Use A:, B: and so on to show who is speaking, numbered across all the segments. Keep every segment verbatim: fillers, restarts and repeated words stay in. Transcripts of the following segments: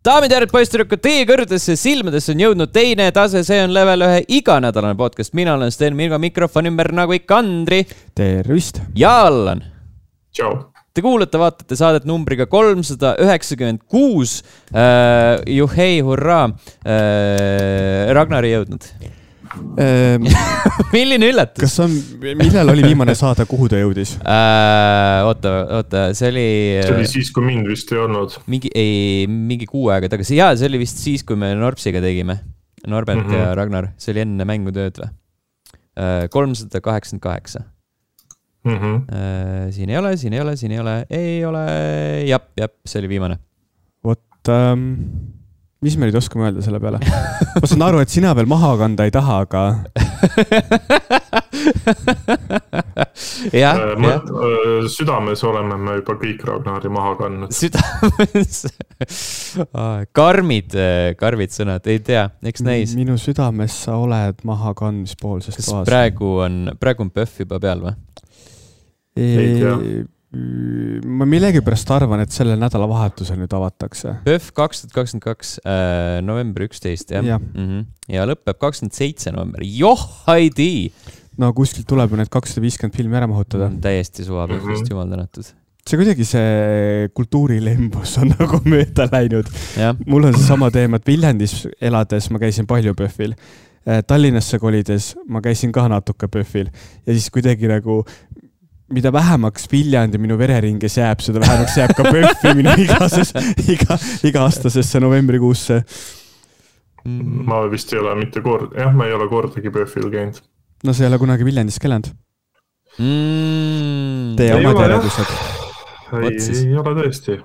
A: Daamid ja järjed poistirükkud, teie kõrgedesse silmadesse on jõudnud teine tase, see on level ühe iganädalane podcast. Mina olen Sten Mirgo, mikrofon ümber nagu ikka Andri.
B: Tervist.
A: Ja Allan.
C: Tšau.
A: Te kuulate, vaatate saadet numbriga kolmsada üheksakümmend kuus. Uh, juhei, hurraa. Uh, Ragnar ei jõudnud.
B: Ähm,
A: Milline üllatus?
B: Kas on, millal oli viimane saade, kuhu ta jõudis?
A: Uh, oota, oota, see oli...
C: See oli siis, kui mind vist ei olnud.
A: Mingi, ei, mingi kuu aega tagasi. Jaa, see oli vist siis, kui me Norpsiga tegime. Norbert mm -hmm. ja Ragnar. See oli enne mängutööd või? Uh, kolmsada kaheksakümmend kaheksa.
C: Mm -hmm.
A: uh, siin ei ole, siin ei ole, siin ei ole. Ei ole. Jap, jap, see oli viimane.
B: Vot... Um... Mis me nüüd oskame öelda selle peale? Ma saan aru, et sina veel maha kanda ei taha, aga...
A: ja,
C: äh, mõt, äh, südames oleme me juba kõik Ragnari maha kandnud.
A: Südames? karmid, karmid sõnad, ei tea, eks näis.
B: Minu südames sa oled maha kandmispoolsest
A: kas
B: toas.
A: praegu on, praegu on Pöff juba peal või?
C: Ei tea.
B: Ma millegi pärast arvan, et selle nädala vahetusel nüüd avatakse.
A: Pöff kaks tuhat kakskümmend kaks, äh, november üksteist, jah?
B: Ja.
A: Mm -hmm. ja lõpeb kakskümmend seitse november. Joh, haidi!
B: No kuskilt tuleb ju need kakssada viiskümmend filmi ära mahutada.
A: Mm, täiesti suva Pöffist, mm -hmm. jumal tänatud.
B: See kuidagi see kultuurilembus on nagu mööda läinud.
A: Ja.
B: Mul on see sama teema, et Viljandis elades ma käisin palju Pöffil. Tallinnasse kolides ma käisin ka natuke Pöffil. Ja siis kuidagi nagu... mida vähemaks Viljandi minu vereringes jääb, seda vähemaks jääb ka Pöffi minu igases, iga, iga-aastasesse novembrikuusse.
C: Mm. Ma vist ei ole mitte kord, jah, ma ei ole kordagi Pöffil käinud.
B: No see ei ole kunagi Viljandis kelanud.
A: Mm.
B: Tee omad järedused.
C: Ei, ei ole tõesti.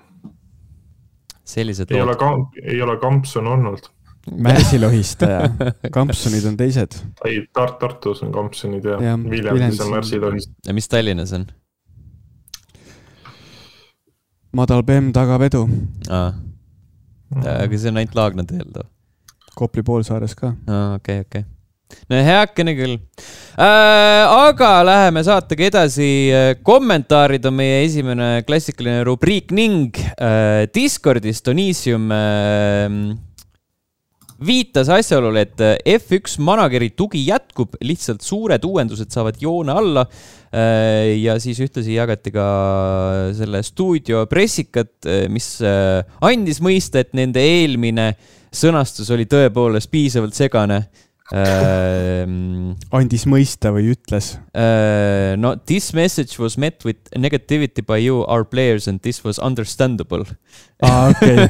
A: Sellised
C: ei, ole kamp, ei ole Kampson olnud.
B: Märsilohistaja. Kampsonid on teised.
C: Ei, Tart Tartus on Kampsonid ja,
B: ja
C: Viljandis on Märsilohistaja.
A: Ja mis Tallinnas on?
B: Madal Bemm tagab edu.
A: Aa. Aga see on ainult Laagna teel too.
B: Kopli poolsaares ka.
A: Aa, okei, okay, okei. Okay. No heakene küll. Äh, aga läheme saatega edasi. Kommentaarid on meie esimene klassikaline rubriik ning äh, Discordis Tonisium äh, viitas asjaolule, et F üks manageri tugi jätkub, lihtsalt suured uuendused saavad joone alla ja siis ühtlasi jagati ka selle stuudio pressikat, mis andis mõista, et nende eelmine sõnastus oli tõepoolest piisavalt segane. Uh,
B: andis mõista või ütles?
A: Uh, no, this message was met with negativity by you, our players, and this was understandable.
B: Ah, okay.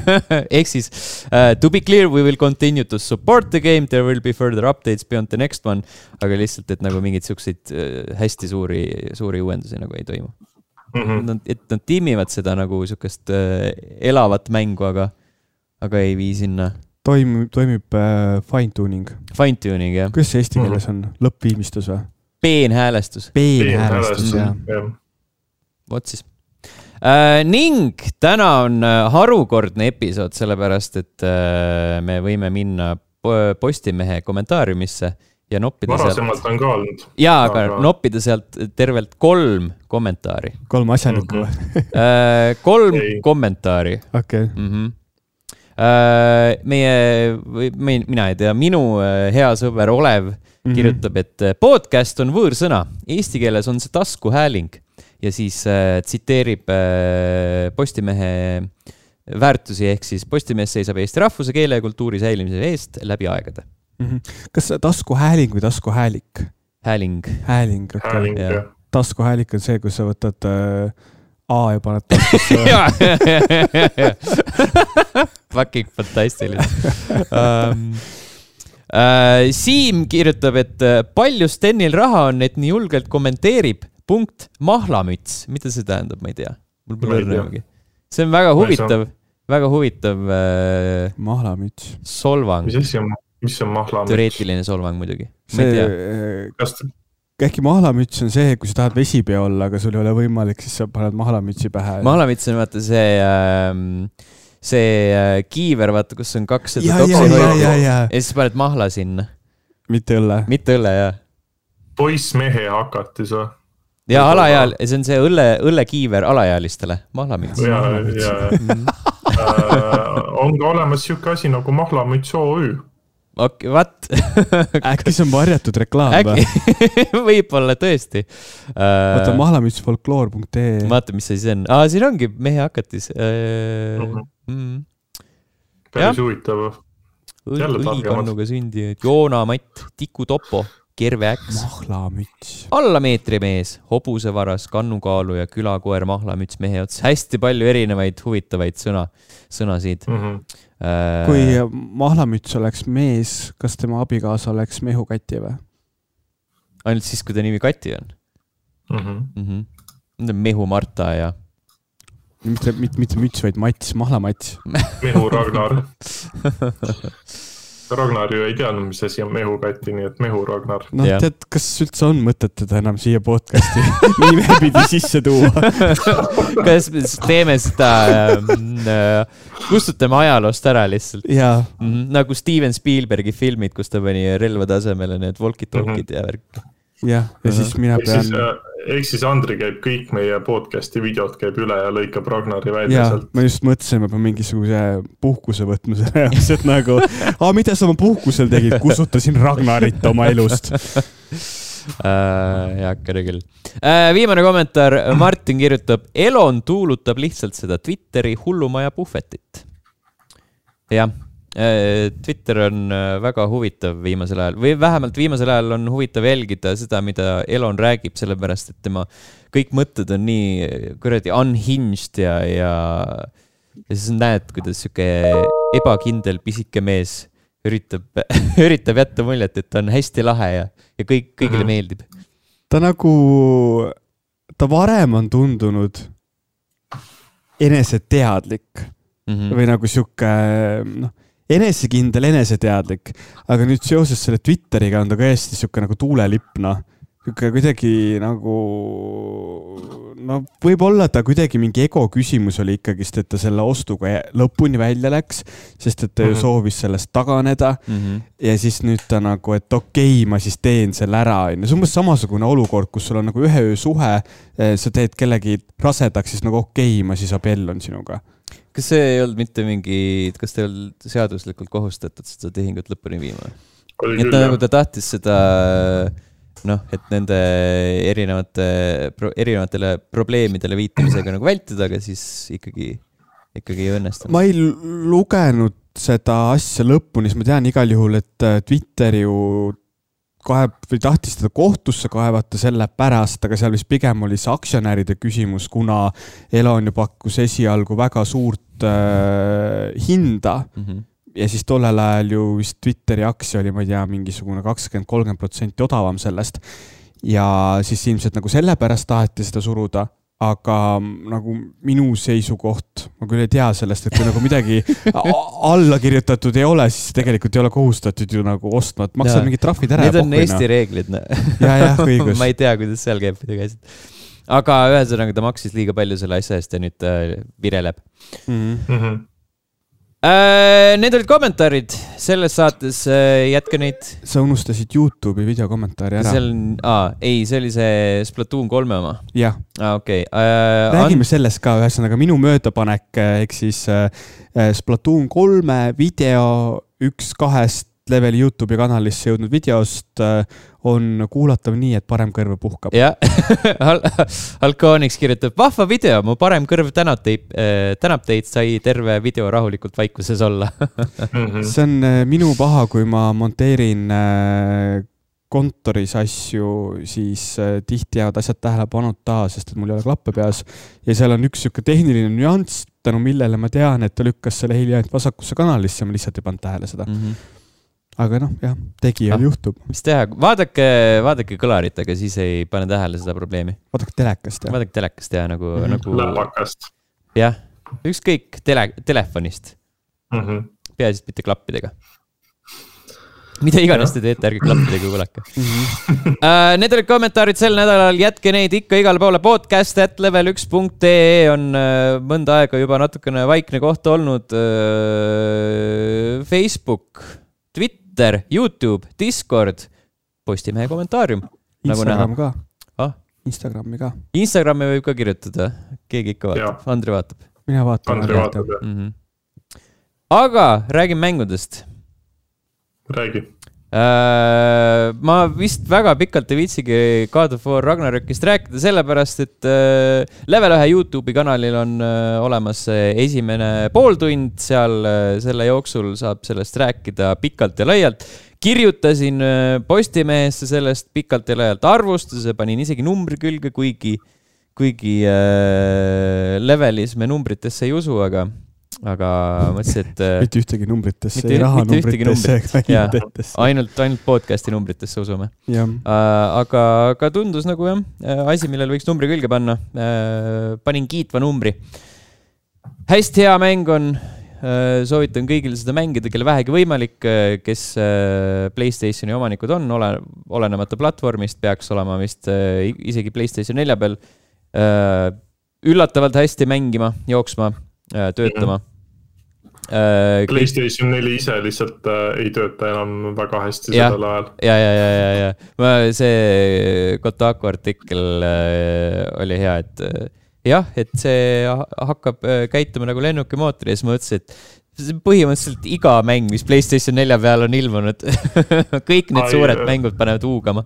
A: Ehk siis, uh, to be clear, we will continue to support the game, there will be further updates beyond the next one, aga lihtsalt, et nagu mingid siukseid uh, hästi suuri, suuri uuendusi nagu ei toimu. Mm -hmm. nad, et nad tiimivad seda nagu siukest uh, elavat mängu, aga, aga ei vii sinna.
B: Toimib, toimib äh, fine-tuning.
A: Fine-tuning, jah.
B: Kuidas see eesti keeles on? Lõppviimistus või?
A: Peenhäälestus.
B: Peenhäälestus, jah.
A: Vot siis. Äh, ning täna on harukordne episood, sellepärast, et äh, me võime minna Postimehe kommentaariumisse ja noppida
C: Varasemalt
A: sealt...
C: on ka olnud.
A: Jaa, aga, aga noppida sealt tervelt kolm kommentaari.
B: Kolm asjanikku või?
A: Mm -hmm. äh, kolm Ei. kommentaari.
B: Okei. Okay.
A: Mm -hmm. Meie, või mina ei tea, minu hea sõber Olev mm-hmm. kirjutab, et podcast on võõrsõna. Eesti keeles on see taskuhääling ja siis äh, tsiteerib äh, Postimehe väärtusi, ehk siis Postimees seisab Eesti rahvuse, keele ja kultuuri säilimise eest läbi aegade.
B: Mm-hmm. Kas taskuhääling või taskuhäälik?
A: Hääling.
B: Hääling, okei.
C: Hääling, jah.
B: Taskuhäälik on see, kus sa võtad... Äh, A ja paned taskusse.
A: Fucking fantastiline. um, uh, Siim kirjutab, et palju Stenil raha on, et nii julgelt kommenteerib. Punkt mahlamüts. Mida see tähendab, ma ei tea. Mul pole õrnagi. See on väga huvitav, väga huvitav uh,
B: mahlamüts.
A: Solvang.
C: Mis asi on, mis on mahlamüts?
A: Teoreetiline solvang muidugi. Ma
B: ei
A: tea.
C: Kas te...
B: Äkki mahlamüts on see, kui sa tahad vesipea olla, aga sul ei ole võimalik, siis sa paned mahlamütsi pähe.
A: Mahlamüts on vaata see, see kiiver, vaata, kus on kaks seda
B: ja,
A: topsi
B: ja,
A: hoidu.
B: Ja, ja, ja.
A: ja siis paned mahla sinna.
B: Mitte õlle.
A: Mitte õlle, jah.
C: Poiss mehe hakatis või?
A: Ja alaeal, see on see õlle, õllekiiver alaealistele. Mahlamüts.
C: Ja, ja, ja. on ka olemas siuke asi nagu Mahlamüts O Ü.
A: okei, what?
B: Äkki see on varjatud reklaam või?
A: Võib-olla tõesti.
B: Vaata mahlamüts folkloor punkt ee.
A: Vaata, mis see siis on. Aa, siin ongi mehe hakatis. Mm-hmm.
C: Päris huvitav.
A: Õlikannuga sündi. Joona Matt, Tiku Topo, Kerve Äks.
B: Mahlamüts.
A: Alla meetri mees, hobusevaras, kannukaalu ja külakoer Mahlamüts mehe ots. Hästi palju erinevaid huvitavaid sõna, sõnasid.
C: Mm-hmm.
A: Äh...
B: Kui Mahlamüts oleks mees, kas tema abikaasa oleks Mehu Kati või?
A: Ainult siis, kui ta nimi Kati on.
C: Mm-hmm.
A: Mm-hmm. Mehu Marta ja...
B: Mitte, mitte, mitte müts, vaid Mats, Mahlamats.
C: Mehu Ragnar. Ragnar ju ei teadnud, mis asi on Mehu Kati, nii et Mehu Ragnar.
B: No ja. Tead, kas üldse on mõtet teda enam siia podcasti nime pidi sisse tuua?
A: Kas teeme seda, äh, kustutame ajaloost ära lihtsalt?
B: Jaa.
A: Mm-hmm. Nagu Steven Spielbergi filmid, kus ta pani relva tasemele need walkie-talkid mm-hmm. ja värk.
B: Jah, ja siis mina pean...
C: Eks siis, eks siis Andri käib kõik meie podcasti videod käib üle ja lõikab Ragnari välja
B: ja,
C: sealt.
B: Ma just mõtlesin, ma pean mingisuguse puhkuse võtma selle jaoks, et nagu, aa, mida sa oma puhkusel tegid? Kusutasin Ragnarit oma elust.
A: äh, jah, kere küll. Äh, viimane kommentaar. Martin kirjutab, Elon tuulutab lihtsalt seda Twitteri hullumaja puhvetit. Jah. Twitter on väga huvitav viimasel ajal või vähemalt viimasel ajal on huvitav jälgida seda, mida Elon räägib, sellepärast, et tema kõik mõtted on nii kuradi unhinged ja, ja, ja siis näed, kuidas siuke ebakindel pisike mees üritab, üritab jätta muljet, et ta on hästi lahe ja, ja kõik, kõigile mm-hmm. meeldib.
B: Ta nagu, ta varem on tundunud eneseteadlik mm-hmm. või nagu siuke, noh, enesekindel, eneseteadlik, aga nüüd seoses selle Twitteriga on ta ka hästi siuke nagu tuulelipna. Kuidagi nagu, no võib-olla ta kuidagi mingi ego küsimus oli ikkagist, et ta selle ostuga lõpuni välja läks, sest et ta ju mm-hmm. soovis sellest taganeda mm-hmm. ja siis nüüd ta nagu, et okei, ma siis teen selle ära. See on umbes samasugune olukord, kus sul on nagu ühe öö suhe, sa teed kellegi rasedaks, siis nagu okei, ma siis abellon sinuga.
A: Kas see ei olnud mitte mingi, kas te ei olnud seaduslikult kohustatud seda tehingut lõpuni viima? Et ta, nagu ta tahtis seda, noh, et nende erinevate, erinevatele probleemidele viitamisega nagu vältida, aga siis ikkagi, ikkagi ei õnnestunud.
B: Ma ei lugenud seda asja lõpuni, siis ma tean igal juhul, et Twitter ju kaeb, või tahtis teda kohtusse kaevata selle pärast, aga seal vist pigem oli see aktsionäride küsimus, kuna Elon ju pakkus esialgu väga suurt äh, hinda mm-hmm. ja siis tollel ajal ju vist Twitteri aktsia oli, ma ei tea, mingisugune kakskümmend kolmkümmend protsenti odavam sellest ja siis ilmselt nagu selle pärast taheti seda suruda, aga nagu minu seisukoht, ma küll ei tea sellest, et kui nagu midagi alla kirjutatud ei ole, siis tegelikult ei ole kohustatud ju nagu ostma, et maksad mingid trahvid ära.
A: Need on Eesti reeglid.
B: Ja, jah, õigus.
A: Ma ei tea, kuidas seal käib midagi asjad. Aga ühesõnaga ta maksis liiga palju selle asja eest ja nüüd äh, vireleb.
C: Mm-hmm.
A: Äh, need olid kommentaarid selles saates, äh, jätka neid.
B: Sa unustasid YouTube'i videokommentaari ära.
A: Seal, aa, ei, see oli see Splatoon kolme oma.
B: Jah.
A: Ah, okei. Okay. Äh,
B: Räägime an... sellest ka, ühesõnaga minu möödapanek, ehk siis äh, Splatoon kolme video üks kahest leveli YouTube'i kanalisse jõudnud videost äh, on kuulatav nii, et parem kõrv puhkab.
A: Jah, Alkooniks kirjutab, vahva video, mu parem kõrv tänab teid, tänab teid, sai terve video rahulikult vaikuses olla.
B: See on minu paha, kui ma monteerin kontoris asju, siis tihti jäävad asjad tähelepanud taha, sest et mul ei ole klappe peas. Ja seal on üks siuke tehniline nüanss, tänu millele ma tean, et ta lükkas selle heli ainult vasakusse kanalisse ja ma lihtsalt ei pannud tähele seda. Mm-hmm. Aga noh, jah, tegijal ah, juhtub.
A: Mis teha? Vaadake, vaadake kõlarit, aga siis ei pane tähele seda probleemi.
B: Vaadake telekast, jah.
A: Vaadake telekast, jah, nagu...
C: Mm-hmm.
A: nagu...
C: Läpakast.
A: Jah, ükskõik tele, telefonist.
C: Mm-hmm.
A: Peaasist mitte klappidega. Mida iganes te teete, ärge klappidega kuulake. Mm-hmm. uh, need olid kommentaarid sel nädalal, jätke neid ikka igale poole. Podcast at level üks punkt ee on uh, mõnda aega juba natukene vaikne koht olnud. Uh, Facebook, Twitter, YouTube, Discord, Postimehe kommentaarium.
B: Instagram
A: nagu
B: ka.
A: Ah?
B: Instagrami ka.
A: Instagrami võib ka kirjutada. Keegi ikka vaatab. Ja. Andri vaatab.
B: Mina vaatan.
C: Andri vaatab, jah.
A: Mm-hmm. aga räägin mängudest.
C: Räägi.
A: Uh, ma vist väga pikalt ei viitsigi God of War Ragnarökist rääkida, sellepärast, et uh, Level ühe YouTube'i kanalil on uh, olemas esimene pooltund, seal uh, selle jooksul saab sellest rääkida pikalt ja laialt. Kirjutasin uh, Postimehesse sellest pikalt ja laialt arvustuse, panin isegi numbri külge, kuigi, kuigi uh, Levelis me numbritesse ei usu, aga aga mõtlesin, et
B: mitte ühtegi numbritesse, ei raha numbritesse ega hindetesse.
A: Ainult, ainult podcasti numbritesse usume. Uh, aga, aga tundus nagu jah, asi, millel võiks numbri külge panna. Uh, panin kiitva numbri. Hästi hea mäng on. Uh, soovitan kõigil seda mängida, kelle vähegi võimalik, kes uh, PlayStationi omanikud on, ole, olenemata platvormist, peaks olema vist uh, isegi PlayStation nelja peal uh, üllatavalt hästi mängima, jooksma, uh, töötama.
C: Uh, PlayStation neli ise lihtsalt uh, ei tööta enam väga hästi
A: ja,
C: sellel ajal.
A: Ja, ja, ja, ja, ja. Ma, see Kotaku artikkel uh, oli hea, et uh, jah, et see hakkab uh, käituma nagu lennukimootori ja siis ma ütlesin, et põhimõtteliselt iga mäng, mis PlayStation nelja peal on ilmunud, kõik need Ai, suured uh, mängud panevad huugama.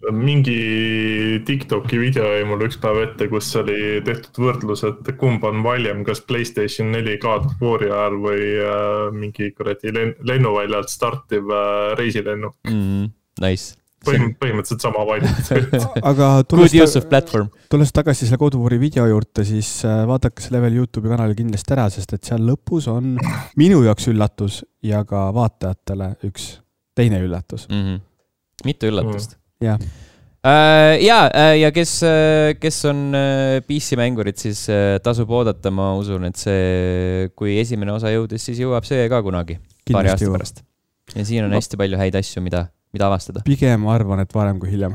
C: Mingi TikToki video jäi mul üks päev ette, kus oli tehtud võrdlus, et kumb on valjem, kas PlayStation neli God of War'i ajal või äh, mingi kuradi lennuväljalt startiv äh, reisilennuk.
A: Mm, nice.
C: Põhim, põhimõtteliselt sama valjem.
B: Aga
A: good use of platform.
B: Tulles tagasi selle God of War'i video juurde, siis vaadake see Level YouTube'i kanali kindlasti ära, sest et seal lõpus on minu jaoks üllatus ja ka vaatajatele üks teine üllatus.
A: Mm-hmm. Mitu üllatust?
B: Mm. Ja,
A: uh, ja, uh, ja kes, uh, kes on uh, P C-mängurid, siis uh, tasub oodata, ma usun, et see, kui esimene osa jõudis, siis jõuab see ka kunagi, kindlasti paari aasta jõuab. Pärast. Ja siin on no. hästi palju häid asju, mida, mida avastada.
B: Pigem arvan, et varem kui hiljem.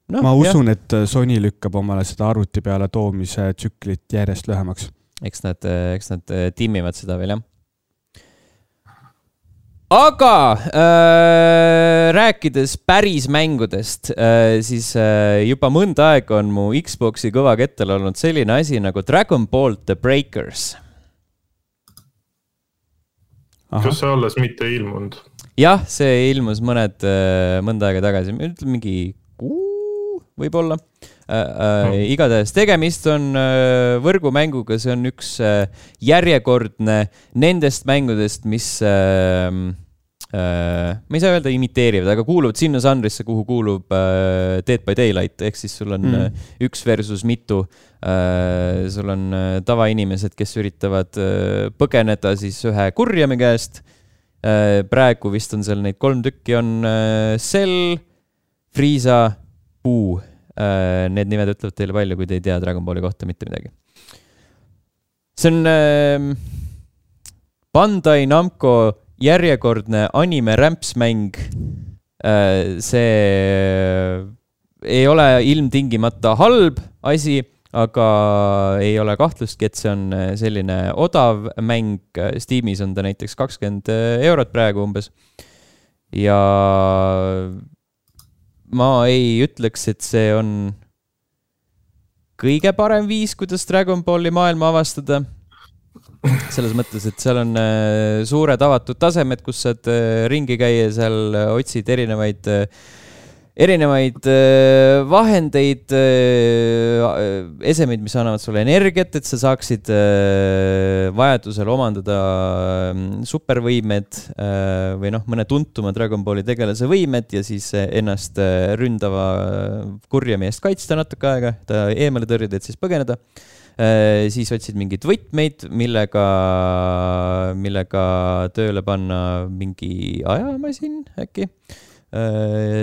B: No, ma usun, jah. Et Sony lükkab omale seda arvuti peale toomise tsüklit järjest lühemaks.
A: Eks nad, eks nad timmivad seda veel, jah. Aga äh, rääkides päris mängudest, äh, siis äh, juba mõnda aeg on mu Xboxi kõva kettel olnud selline asi nagu Dragon Ball The Breakers.
C: Aha. Kas see alles mitte ilmunud?
A: Jah, see ilmus mõned, äh, mõnda aega tagasi. Ütleme mingi kuu võib-olla. Äh, äh, igatahes tegemist on äh, võrgumänguga, see on üks äh, järjekordne nendest mängudest, mis äh, äh, ma ei saa öelda imiteerivad, aga kuuluvad sinna žanrisse, kuhu kuulub äh, Dead by Daylight, ehk siis sul on mm. äh, üks versus mitu, äh, sul on äh, tavainimesed, kes üritavad äh, põgeneda siis ühe kurjame käest, äh, praegu vist on seal neid kolm tükki, on äh, Cell, Frieza, Puu. Need nimed ütlevad teile palju, kui te ei tea Dragon Balli kohta mitte midagi. See on äh, Bandai Namco järjekordne anime-rämpsmäng. Äh, see ei ole ilmtingimata halb asi, aga ei ole kahtlustki, et see on selline odav mäng. Steamis on ta näiteks kakskümmend eurot praegu umbes. Ja ma ei ütleks, et see on kõige parem viis, kuidas Dragon Balli maailma avastada. Selles mõttes, et seal on suured avatud tasemed, kus saad ringi käia, seal otsid erinevaid, erinevaid vahendeid, esemeid, mis annavad sulle energiat, et sa saaksid vajadusel omandada supervõimed või noh, mõne tuntuma Dragon Balli tegelase võimed ja siis ennast ründava kurjami eest kaitsta natuke aega, ta eemale tõrjud, et siis põgeneda. Siis otsid mingid võtmeid, millega, millega tööle panna mingi ajamasin äkki.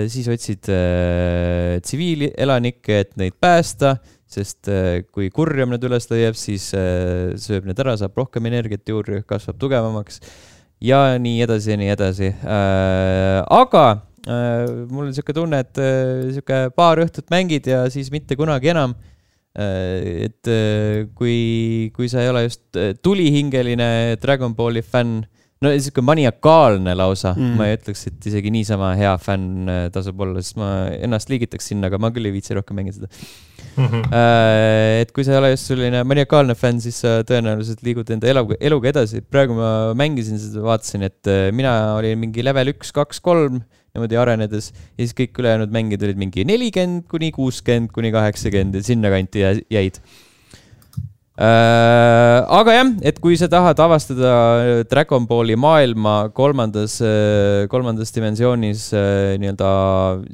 A: Siis otsid äh, tsiviilelanikke, et neid päästa, sest äh, kui kurjam need üles leiab, siis äh, sööb need ära, saab rohkem energiat juurde, kasvab tugevamaks ja nii edasi ja nii edasi. Äh, aga äh, mul on siuke tunne, et äh, siuke paar õhtut mängid ja siis mitte kunagi enam. Äh, et äh, kui, kui sa ei ole just tulihingeline Dragon Balli fänn, no siuke maniakaalne lausa, mm. ma ei ütleks, et isegi niisama hea fänn tasub olla, sest ma ennast liigitaks sinna, aga ma küll ei viitsi rohkem mängida seda. Mm-hmm. Uh, et kui sa ei ole just selline maniakaalne fänn, siis sa tõenäoliselt liigud enda elu, eluga edasi. Praegu ma mängisin seda, vaatasin, et mina olin mingi level üks, kaks, kolm niimoodi arenedes ja siis kõik ülejäänud mängid olid mingi nelikümmend kuni kuuskümmend kuni kaheksakümmend ja sinna kanti jäid. Uh, aga jah, et kui sa tahad avastada Dragon Balli maailma kolmandas, kolmandas dimensioonis uh, nii-öelda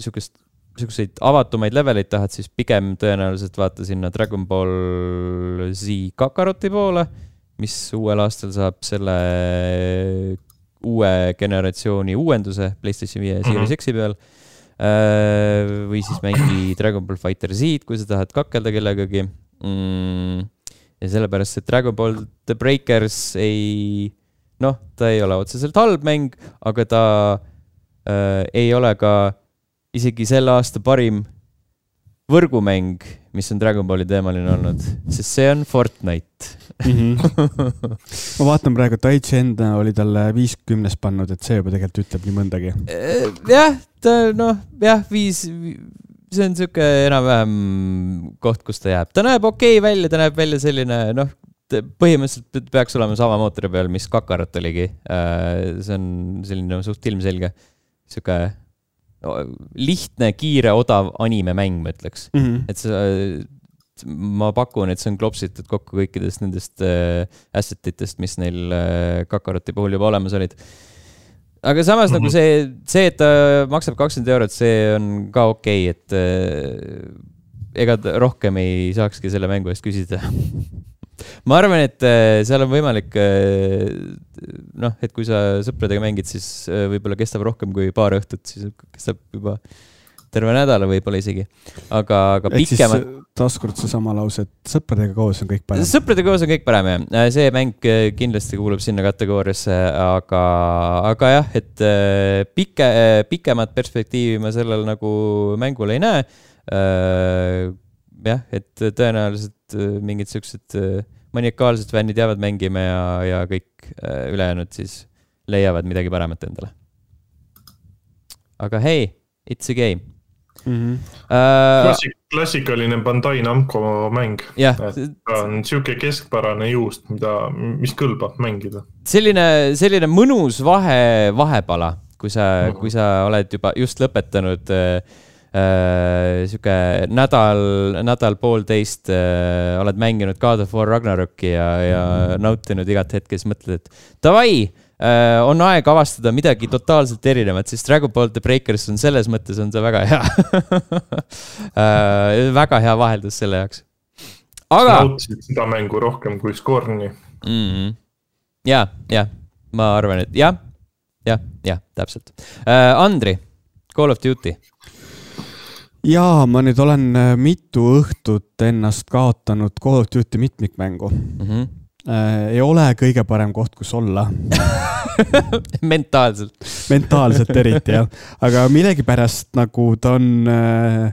A: sihukest, sihukeseid avatumaid leveleid tahad, siis pigem tõenäoliselt vaata sinna Dragon Ball Z Kakaroti poole, mis uuel aastal saab selle uue generatsiooni uuenduse PlayStation viie Series X-i peal uh, või siis mängi Dragon Ball Fighter Z, kui sa tahad kakelda kellegagi. Mm. Ja sellepärast, et Dragon Ball The Breakers ei, noh, ta ei ole otseselt halb mäng, aga ta äh, ei ole ka isegi selle aasta parim võrgumäng, mis on Dragon Balli teemaline olnud, sest see on Fortnite.
B: Mm-hmm. Ma vaatan praegu, Taichi enda oli talle viiskümnes pannud, et see juba tegelikult ütleb nii mõndagi.
A: Jah, ta, noh, jah, viis... see on siuke enam-vähem koht, kus ta jääb. Ta näeb okei välja, ta näeb välja selline, noh, põhimõtteliselt peaks olema sama mootori peal, mis Kakarot oligi. See on selline suht ilmselge. Siuke lihtne, kiire, odav anime-mäng, ma ütleks. Mm-hmm. Et see, ma pakun, et see on klopsitud kokku kõikidest nendest assetitest, mis neil Kakaroti puhul juba olemas olid. Aga samas mm-hmm. nagu see, see, et ta maksab kakskümmend eurot, see on ka okei, et äh, ega rohkem ei saakski selle mängu eest küsida. Ma arvan, et äh, seal on võimalik, äh, noh, et kui sa sõpradega mängid, siis äh, võib-olla kestab rohkem kui paar õhtut, siis kestab juba terve nädala võib-olla isegi. Aga, aga pikemad...
B: Taaskord see sama lause, et sõpradega koos on kõik parem.
A: Sõpradega koos on kõik parem, jah. See mäng kindlasti kuulub sinna kategooriasse, aga, aga jah, et pike, pikemat perspektiivi ma sellel nagu mängul ei näe. Jah, et tõenäoliselt mingid sellised maniakaalsed fännid jäävad mängima ja, ja kõik ülejäänud siis leiavad midagi paremat endale. Aga hei, it's a game.
C: Mm-hmm. Uh, Klassik, klassikaline Bandai Namco mäng.
A: Yeah.
C: Ta on siuke keskpärane juust, mida, mis kõlbab mängida.
A: Selline, selline mõnus vahe, vahepala, kui sa, mm-hmm. kui sa oled juba just lõpetanud äh, äh, siuke nädal, nädal poolteist äh, oled mänginud God of War Ragnaroki ja, ja mm-hmm. nautinud igat hetke, siis mõtled, et davai, Uh, on aeg avastada midagi totaalselt erinevat, siis Dragon Ball The Breakers on selles mõttes on see väga hea. uh, väga hea vaheldus selle jaoks. Aga...
C: nautisid seda mängu rohkem kui Scorni.
A: Mm-hmm. Ja, ja, ma arvan, et jah, jah, jah, täpselt. Uh, Andri, Call of Duty.
B: Jaa, ma nüüd olen mitu õhtut ennast kaotanud Call of Duty mitmikmängu. Mm-hmm. Äh, ei ole kõige parem koht, kus olla.
A: Mentaalselt.
B: Mentaalselt eriti, jah. Aga millegipärast nagu ta on äh,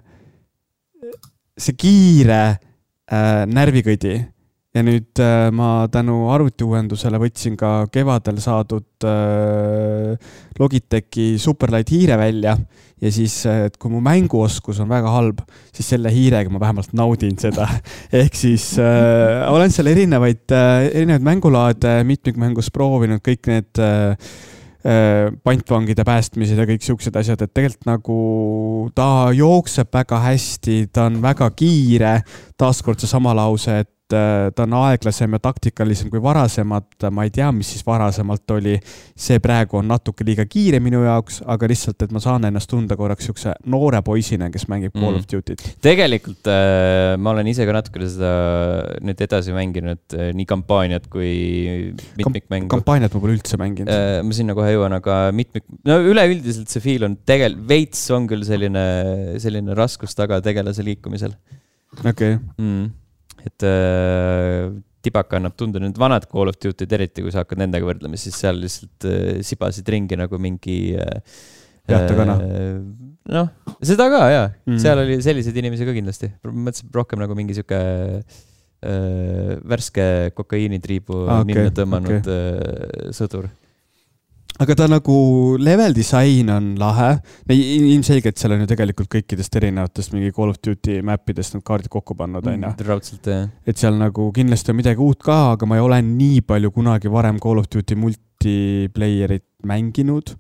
B: see kiire äh, närvikõdi. Ja nüüd äh, ma tänu arvutiuuendusele võtsin ka kevadel saadud äh, Logitechi Superlight hiire välja. Ja siis, et kui mu mänguoskus on väga halb, siis selle hiirega ma vähemalt naudin seda. Ehk siis äh, olen seal erinevaid, äh, erinevaid mängulaade mitmikmängus proovinud, kõik need äh, pantvangide päästmised ja kõik siuksed asjad, et tegelikult nagu ta jookseb väga hästi, ta on väga kiire, taaskord see sama lause, et ta on aeglasem ja taktikalisem kui varasemad, ma ei tea, mis siis varasemalt oli, see praegu on natuke liiga kiire minu jaoks, aga lihtsalt, et ma saan ennast tunda korraks siukse noore poisina, kes mängib Call of Duty't.
A: Tegelikult äh, ma olen ise ka natuke seda nüüd edasi mänginud, äh, nii kampaaniat kui mitmikmängu.
B: Kampaaniat ma pole üldse mänginud.
A: Äh, ma sinna kohe jõuan, aga mitmik... No üleüldiselt see feel on tegel... Veits on küll selline, selline raskus taga tegelase liikumisel.
B: Okei. Okay.
A: Mm. Et äh, tibaka annab tunda nüüd vanad Call of Duty, eriti kui sa hakkad nendega võrdlema, siis seal lihtsalt äh, sibasid ringi nagu mingi äh,
B: Jahtakana.
A: Äh, noh, seda ka, jaa. Mm. Seal oli selliseid inimesi ka kindlasti. Mõtlesin rohkem nagu mingi siuke äh, värske kokaiinitriibu ah, okay, ninna tõmmanud okay. äh, sõdur.
B: aga ta nagu level disain on lahe. Ilmselgelt seal on ju tegelikult kõikidest erinevatest mingi Call of Duty mappidest need kaardid kokku pannud, on ju.
A: Raudselt, jah.
B: Et seal nagu kindlasti on midagi uut ka, aga ma ei ole nii palju kunagi varem Call of Duty multiplayerit mänginud.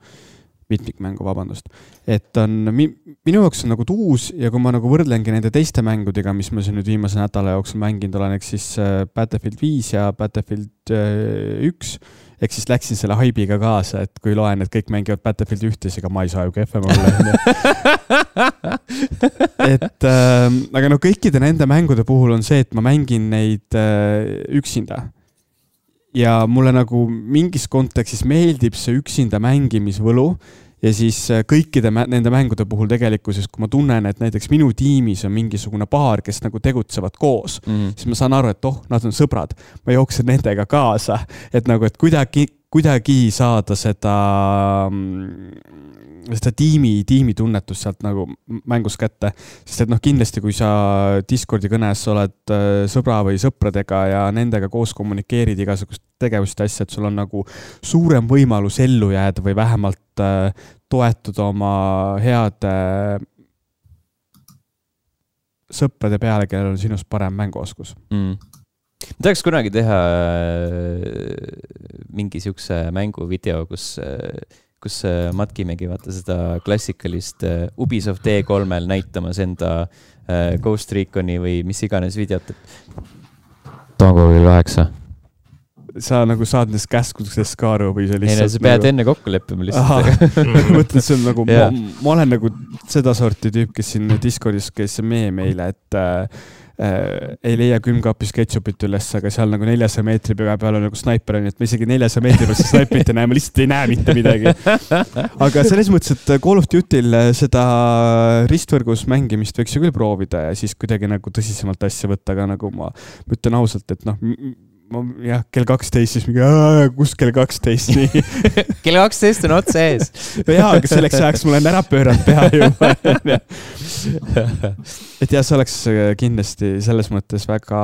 B: Mitmikmängu, vabandust. Et on, minu jaoks on nagu uus ja kui ma nagu võrdlengi nende teiste mängudega, mis ma siin nüüd viimase nädala jooksul mänginud olen, eks siis Battlefield viis ja Battlefield üks, eks siis läksin selle haibiga kaasa, et kui loen, et kõik mängivad Battlefield ühtes, ega ma ei saa ju kehvem olla. et äh, aga no kõikide nende mängude puhul on see, et ma mängin neid äh, üksinda. Ja mulle nagu mingis kontekstis meeldib see üksinda mängimisvõlu ja siis kõikide nende mängude puhul tegelikkuses, kui ma tunnen, et näiteks minu tiimis on mingisugune paar, kes nagu tegutsevad koos, mm. siis ma saan aru, et oh, nad on sõbrad. Ma jooksen nendega kaasa, et nagu, et kuidagi, kuidagi saada seda, seda tiimi, tiimi tunnetust sealt nagu mängus kätte. Sest et noh, kindlasti, kui sa Discordi kõnes oled sõbra või sõpradega ja nendega koos kommunikeerid igasugust tegevust ja asja, et sul on nagu suurem võimalus ellu jääda või vähemalt toetuda oma heade sõprade peale, kellel on sinust parem mänguoskus.
A: Mm. Ma tahaks kunagi teha mingi siukse mänguvideo, kus, kus matkimegi vaata seda klassikalist Ubisoft E kolmel näitamas enda Ghost Reconi või mis iganes videot. Tango kell kaheksa.
B: Sa nagu saad nendest käskudest ka aru või see lihtsalt...
A: Ei, no, sa pead nagu... enne kokku leppima lihtsalt.
B: Mõtlen, see on nagu... ma, ma olen nagu seda sorti tüüp, kes siin Discordis, kes mee meile, et äh, äh, ei leia külmkapis ketšupit üles, aga seal nagu neljasaja meetri peal on nagu snaiper on, et ma isegi neljasaja meetri peal see snaiperit ei näe, ma lihtsalt ei näe mitte midagi. Aga selles mõttes, et Call of Duty'l seda ristvõrgus mängimist võiks ju küll proovida ja siis kuidagi nagu tõsisemalt asja võtta, aga nagu ma ütlen ausalt, et noh... jah, kell kaksteist, siis mingi, kus kell kaksteist?
A: kell kaksteist on otse ees.
B: Jaa, aga selleks ajaks mul on ära pööranud pea juba. et jah, see oleks kindlasti selles mõttes väga,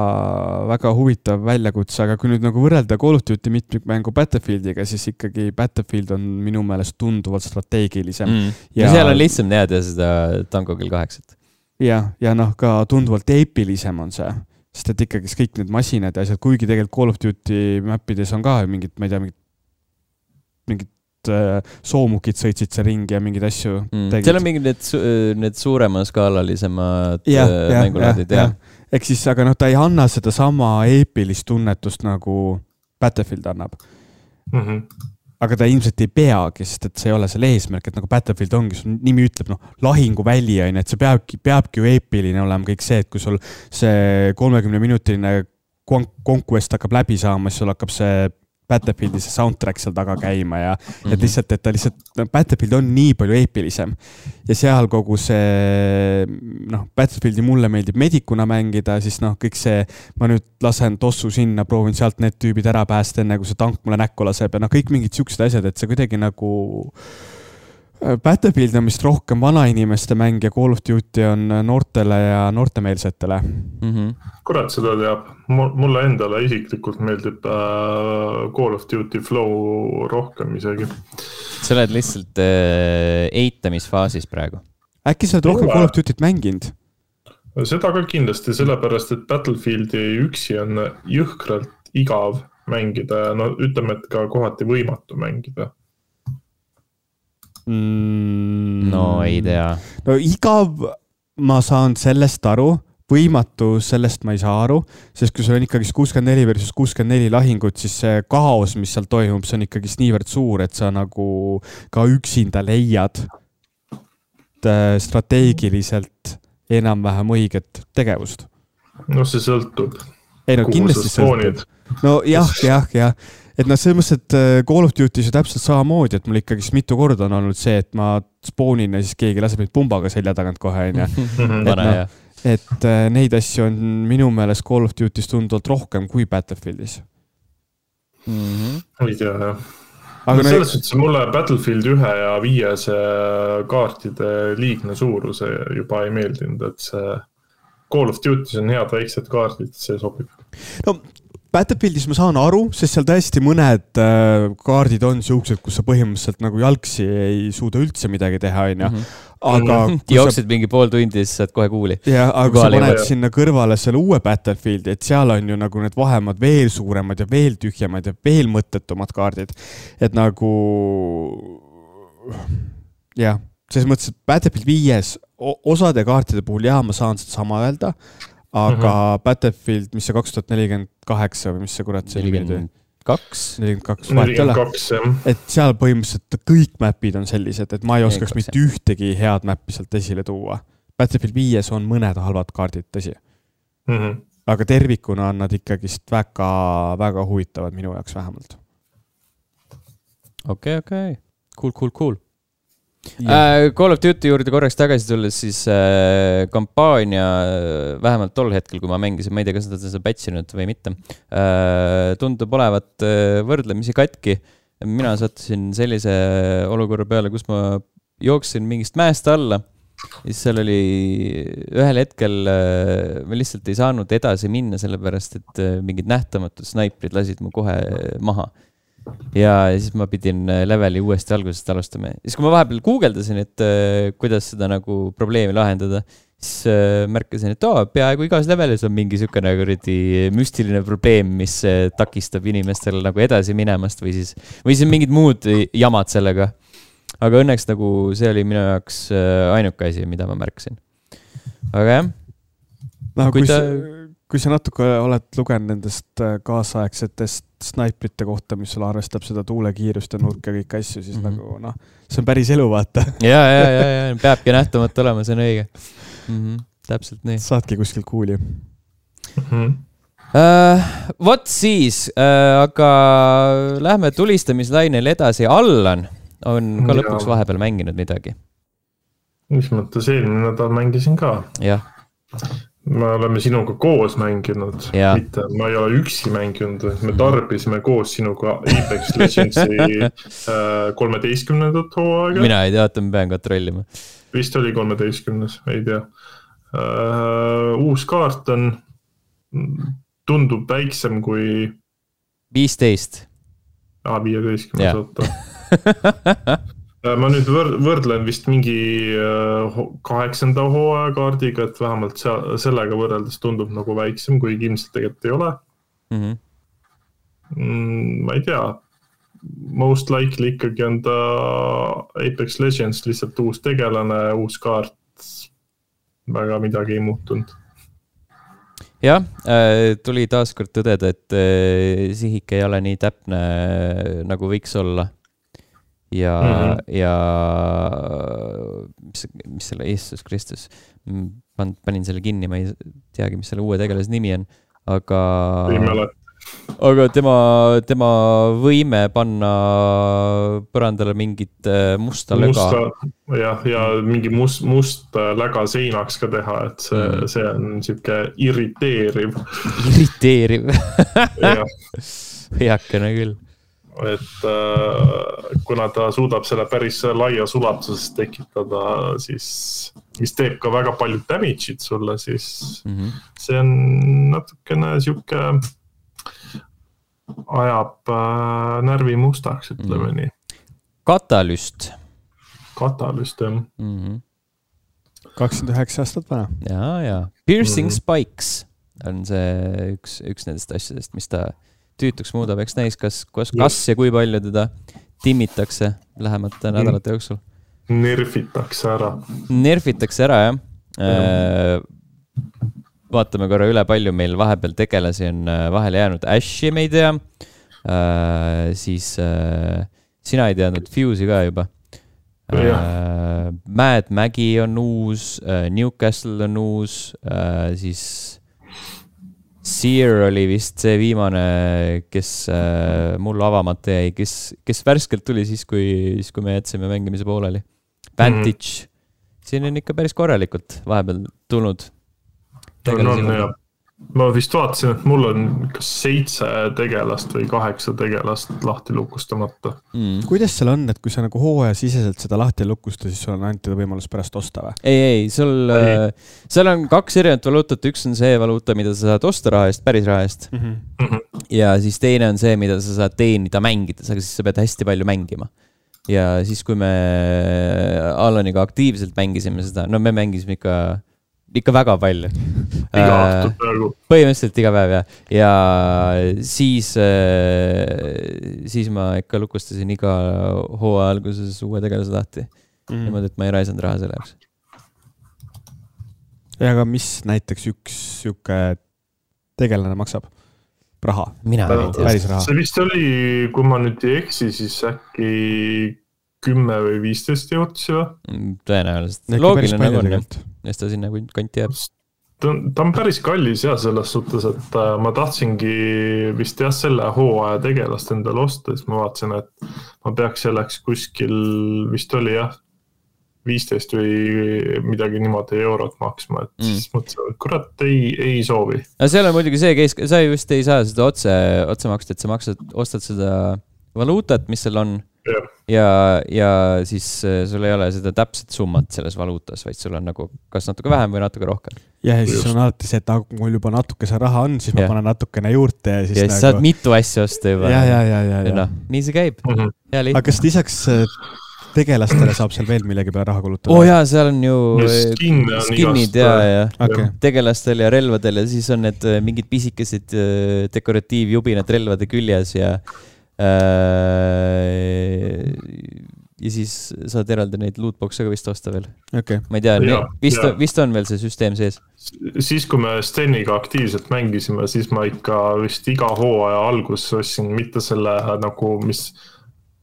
B: väga huvitav väljakutse, aga kui nüüd nagu võrrelda Call of Duty mitmikmängu Battlefieldiga, siis ikkagi Battlefield on minu meelest tunduvalt strateegilisem.
A: Mm. Ja seal on lihtsam teada seda Tango kell kaheksat.
B: Ja, ja noh, ka tunduvalt eepilisem on see. Sest et ikkagi kõik need masinad ja asjad, kuigi tegelikult Call of Duty mappides on ka mingid, ma ei tea, mingid, mingid äh, soomukid sõitsid see ringi ja mingid asju
A: mm. tegid. Seal on mingid need, need suurema skaalalisemad
B: ja,
A: mängulaadid.
B: Ja, ja. Ja. Ehk siis, aga noh, ta ei anna seda sama eepilist tunnetust nagu Battlefield annab. Mm-hmm. Aga ta ilmselt ei peagi, sest et see ei ole selle eesmärk, et nagu Battlefield ongi, sul nimi ütleb, noh, lahinguväli on, et see peabki, peabki ju eepiline olema kõik see, et kui sul see kolmekümne minutiline conquest hakkab läbi saama, siis sul hakkab see Battlefieldi see soundtrack seal taga käima ja mm-hmm. et lihtsalt, et ta lihtsalt, no, Battlefield on nii palju eepilisem ja seal kogu see, noh, Battlefieldi mulle meeldib medikuna mängida, siis noh, kõik see, ma nüüd lasen tossu sinna, proovin sealt need tüübid ära päästa enne, kui see tank mulle näkku laseb ja noh, kõik mingid siuksed asjad, et see kuidagi nagu Battlefield on vist rohkem vanainimeste mäng ja Call of Duty on noortele ja noortemeelsetele.
C: Mm-hmm. Kurat seda teab. Mulle endale isiklikult meeldib äh, Call of Duty flow rohkem isegi.
A: Sa oled lihtsalt äh, eitamisfaasis praegu.
B: Äkki sa oled rohkem Call of Duty't mänginud?
C: Seda ka kindlasti, sellepärast, et Battlefieldi üksi on jõhkralt igav mängida. No ütleme, et ka kohati võimatu mängida.
A: No ei tea.
B: No igav ma saan sellest aru, võimatu sellest ma ei saa aru, sest kui sul on ikkagi kuuskümmend neli versus kuuskümmend neli lahingut, siis see kaos, mis seal toimub, see on ikkagi niivõrd suur, et sa nagu ka üksinda leiad strateegiliselt enam-vähem õiget tegevust.
C: No see sõltub.
B: Ei no kindlasti sõltub. No jah, jah, jah. Et noh, selles mõttes, et Call of Duty see täpselt samamoodi, et mul ikkagi mitu korda on olnud see, et ma spoonin ja siis keegi laseb neid pumbaga selja tagant kohe. Et, no, et neid asju on minu meelest Call of Duty's tunduvalt rohkem kui Battlefieldis.
C: Mm-hmm. Ei tea, jah. Aga no, selles mõttes mulle Battlefield ühe ja viie see kaartide liigne suuruse juba ei meeldinud, et see Call of Duty's on head väiksed kaardid, see sobib.
B: No Battlefieldis ma saan aru, sest seal tõesti mõned äh, kaardid on siuksed, kus sa põhimõtteliselt nagu jalgsi ei suuda üldse midagi teha, on ju. Aga
A: jooksid sa... mingi pool tundi, siis saad kohe kuuli.
B: Ja, aga kui sa paned sinna kõrvale selle uue Battlefieldi, et seal on ju nagu need vahemad veel suuremad ja veel tühjemad ja veel mõttetumad kaardid. Et nagu, jah, selles mõttes, et Battlefield viies osade kaartide puhul, jah, ma saan seda sama öelda, aga mm-hmm. Battlefield, mis see kaks tuhat nelikümmend kaheksa või mis see kurat see
A: nelikümmend kaks
B: nelikümmend kaks nelikümmend kaks et seal põhimõtteliselt kõik mäpid on sellised, et ma ei oskaks mitte ühtegi head mäppi sealt esile tuua. Battlefield viies on mõned halvad kaardid, tõsi.
C: Mm-hmm.
B: Aga tervikuna on nad ikkagist väga, väga huvitavad minu jaoks vähemalt.
A: Okei, okay, okei. Okay. Cool, cool, cool. Äh, Call of Duty juurde korraks tagasi tulles siis äh, kampaania äh, vähemalt tol hetkel, kui ma mängisin, ma ei tea, kas nad seda patchinud või mitte, äh, tundub olevat äh, võrdlemisi katki. Mina sattusin sellise olukorra peale, kus ma jooksin mingist mäest alla. Siis seal oli ühel hetkel äh, ma lihtsalt ei saanud edasi minna, sellepärast et äh, mingid nähtamatud snaiprid lasid mu kohe maha. Ja siis ma pidin leveli uuesti algusest alustama. Siis kui ma vahepeal guugeldasin, et äh, kuidas seda nagu probleemi lahendada, siis äh, märkasin, et oh, peaaegu igas levelis on mingi sükene müstiline probleem, mis äh, takistab inimestel nagu edasi minemast või siis, või siis mingid muud jamad sellega. Aga õnneks nagu see oli minu jaoks äh, ainuke asi, mida ma märkasin. Aga jah.
B: No, kui, kui, ta... sa, kui sa natuke oled lugenud nendest kaasaegsetest snaiprite kohta, mis sulle arvestab seda tuulekiirust ja nurka kõik asju, siis mm-hmm. nagu noh, see on päris elu, vaata.
A: ja, ja, ja, ja, peabki nähtamata olema, see on õige. Mm-hmm. Täpselt nii.
B: Saadki kuskil kuuli.
A: Mm-hmm. Uh, Vot siis, uh, aga lähme tulistamislainel edasi. Allan on ka ja. Lõpuks vahepeal mänginud midagi.
C: Mis mõttes eelmine nädal mängisin ka.
A: Jah.
C: Me oleme sinuga koos mänginud,
A: ja.
C: Mitte, ma ei ole üksi mänginud, me tarbisime koos sinuga Apex Legendsi kolmeteistkümnendat hooaega.
A: Mina ei tea, et ma pean kontrollima.
C: Vist oli kolmeteistkümnes, ei tea. Uh, uus kaart on, tundub väiksem kui...
A: viisteist.
C: Ah, viieteistkümnes, oota. Ma nüüd võrdlen vist mingi kaheksanda hooaja kaardiga, et vähemalt sellega võrreldes tundub nagu väiksem, kui ilmselt tegelikult ei ole. Mm-hmm. Ma ei tea. Most likely ikkagi on ta Apex Legends lihtsalt uus tegelane, uus kaart. Väga midagi ei muutunud.
A: Jah, tuli taaskord tõdeda, et sihik ei ole nii täpne, nagu võiks olla. Ja, mm-hmm. ja mis, mis selle Jeesus Kristus, pan, panin selle kinni, ma ei teagi, mis selle uue tegelase nimi on, aga, aga tema, tema võime panna põrandale mingit musta löga.
C: Musta, jah, ja mingi must, must läga seinaks ka teha, et see, mm. see on siuke irriteeriv.
A: Irriteeriv. Heakene küll.
C: Et äh, kuna ta suudab selle päris laia sulatuses tekitada, siis mis teeb ka väga palju damage'id sulle, siis mm-hmm. see on natukene siuke ajab äh, närvi mustaks, ütleme mm-hmm. nii.
A: Katalüst.
C: Katalüst, jah.
A: Mm-hmm.
B: kakskümmend üheksa aastat vana.
A: Ja, ja. Piercing mm-hmm. Spikes on see üks, üks nendest asjadest, mis ta tüütuks muudab, eks näis, kas, kas, kas ja kui palju teda timmitakse lähemate nädalate jooksul.
C: Nerfitakse ära.
A: Nerfitakse ära, jah. Äh, vaatame korra üle, palju meil vahepeal tegelasi on vahele jäänud. Ashi me ei tea. Äh, siis äh, sina ei teadnud Fuse'i ka juba. Äh, Mad Maggie on uus, äh, Newcastle on uus, äh, siis Seer oli vist see viimane, kes äh, mul avamata jäi, kes, kes värskelt tuli siis, kui, siis, kui me jätsime mängimise pooleli. Vantage. Mm-hmm. Siin on ikka päris korralikult vahepeal tulnud.
C: On, on, ma vist vaatasin, et mul on kas seitse tegelast või kaheksa tegelast lahti lukustamata.
B: Mm. Kuidas seal on, et kui sa nagu hooaja siseselt seda lahti lukusta, siis sul on ainult võimalus pärast osta või?
A: Ei, ei, sul, ei. seal on kaks erinevat valuutat, üks on see valuuta, mida sa saad osta raha eest, päris raha eest. Mm-hmm. Ja siis teine on see, mida sa saad teenida mängides, aga siis sa pead hästi palju mängima. Ja siis, kui me Alaniga aktiivselt mängisime seda, no me mängisime ikka ikka väga palju.
C: Iga õhtu praegu.
A: Põhimõtteliselt iga päev, jah. Ja siis, siis ma ikka lukustasin iga hooaja alguses uue tegelase lahti. Mm. Niimoodi, et ma ei raisanud raha selle jaoks.
B: Ja aga mis näiteks üks siuke tegelane maksab? Raha?
A: Mina ei tea.
B: Päris raha.
C: See vist oli, kui ma nüüd ei eksi, siis äkki kümme või viisteist jõudsi või?
A: Tõenäoliselt. Loogiline nagu on. Ja seda sinna kanti jääb.
C: Ta, ta on päris kallis jah, selles suhtes, et ma tahtsingi vist jah selle hooaja tegelast endale osta, siis ma vaatasin, et ma peaks selleks kuskil, vist oli jah, viisteist või midagi niimoodi eurot maksma, et mm. siis mõtlesin, et kurat, ei, ei soovi.
A: No seal on muidugi see keis, sa just ei saa seda otse, otse maksta, et sa maksad, ostad seda valuutat, mis seal on. Ja. Ja, ja siis sul ei ole seda täpset summat selles valuutas, vaid sul on nagu kas natuke vähem või natuke rohkem.
B: Ja, ja siis Just. on alati see, et mul juba natuke see raha on, siis ja. ma panen natukene juurde. Ja siis,
A: ja siis nagu... saad mitu asja osta juba.
B: Ja, ja, ja, ja, ja.
A: No, nii see käib. Mm-hmm. Ja,
B: aga kas lisaks tegelastele saab seal veel millegi peale raha kulutada?
A: Oo jaa, seal on ju
C: Skin
A: skinnid ja, ja. Okay. Tegelastel ja relvadel ja siis on need mingid pisikesed dekoratiivjubinad relvade küljes ja ja siis saad eraldi neid lootbox'e ka vist osta veel.
B: Okay.
A: Ma ei tea, ja, vist, ja. vist on veel see süsteem sees.
C: Siis kui me Steniga aktiivselt mängisime, siis ma ikka vist iga hooaja algus ostsin mitte selle nagu, mis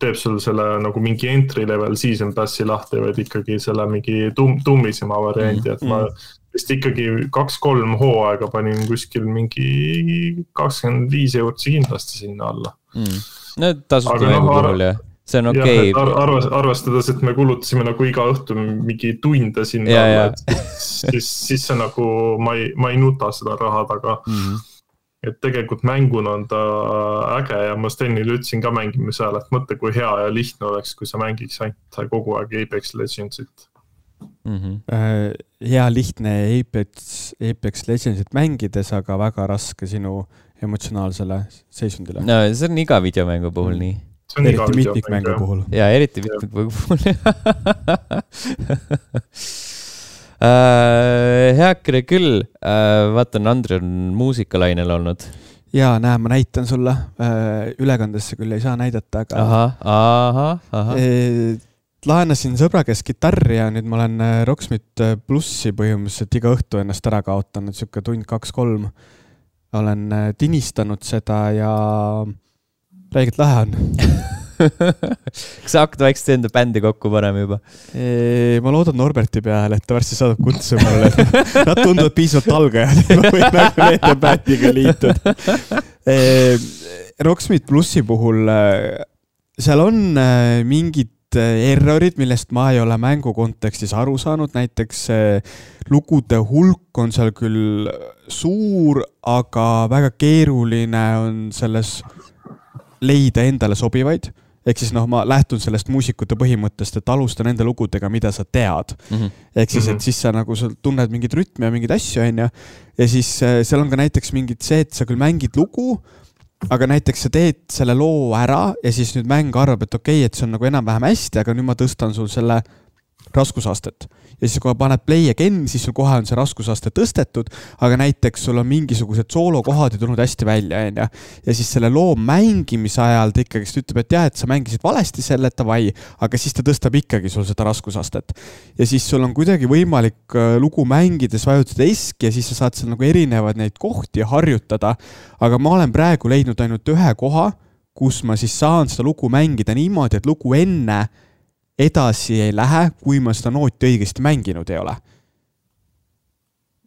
C: teeb sul selle nagu mingi entry level season passi lahti, vaid ikkagi selle mingi tum, tummisema varianti, mm. et ma vist ikkagi kaks-kolm hooaega panin kuskil mingi kakskümmend viis eurtsi kindlasti sinna alla.
A: Mm. No tasub mängu no, puhul, jah. See on okei. Okay.
C: Ar arvas, arvestades, et me kulutasime nagu iga õhtu mingi tunde sinna
A: ja,
C: alla, et siis, siis see nagu, ma ei, ma ei nuta seda raha taga. Mm. Et tegelikult mänguna on ta äge ja ma Stenile ütlesin ka mängime seal, et mõtle, kui hea ja lihtne oleks, kui sa mängiks ainult kogu aeg Apex Legendsit.
B: Mm-hmm. äh, hea lihtne Apex, Apex Legendsit mängides, aga väga raske sinu emotsionaalsele seisundile.
A: No, see on iga videomängu puhul mm. nii.
B: Eriti mitmikmängu puhul.
A: Jaa, eriti mitmikmängu puhul. äh, heakene küll. Äh, vaatan, Andri on muusikalainel olnud.
B: Jaa, näe, ma näitan sulle. Äh, ülekandesse küll ei saa näidata, aga...
A: Aha, aha, aha.
B: E laenasin sõbra kes gitarri ja nüüd ma olen Rocksmith plussi põhimõtteliselt iga õhtu ennast ära kaotanud, siuke tund kaks-kolm. Olen tinistanud seda ja räigelt lahe on.
A: Kas sa hakkad vaikselt enda bändi kokku panema juba?
B: E, ma loodan Norberti peale, et ta varsti saadab kutsu mulle. Nad tunduvad piisavalt algajad, et ma võin nagu nende bändiga liituda. E, Rocksmith plussi puhul seal on mingid errorid, millest ma ei ole mängu kontekstis aru saanud. Näiteks lugude hulk on seal küll suur, aga väga keeruline on selles leida endale sobivaid. Ehk siis noh, ma lähtun sellest muusikute põhimõttest, et alusta nende lugudega, mida sa tead. Mm-hmm. Ehk siis, et siis sa nagu sa tunned mingid rütmi ja mingid asju, on ja. ja siis seal on ka näiteks mingid see, et sa küll mängid lugu, aga näiteks sa teed selle loo ära ja siis nüüd mäng arvab, et okei, okay, et see on nagu enam-vähem hästi, aga nüüd ma tõstan sul selle raskusastet. Ja siis kui paned play again, siis sul kohe on see raskusaste tõstetud, aga näiteks sul on mingisugused soolokohad ja tulnud hästi välja. Ja, ja siis selle loo mängimise ajal ta ikkagi ütleb, et jah, et sa mängisid valesti selle, et vai, aga siis ta tõstab ikkagi sul seda raskusastet. Ja siis sul on kuidagi võimalik lugu mängides vajutada eski ja siis sa saad seal nagu erinevad neid kohti harjutada. Aga ma olen praegu leidnud ainult ühe koha, kus ma siis saan seda lugu mängida niimoodi, et lugu enne edasi ei lähe, kui ma seda nooti õigesti mänginud ei ole.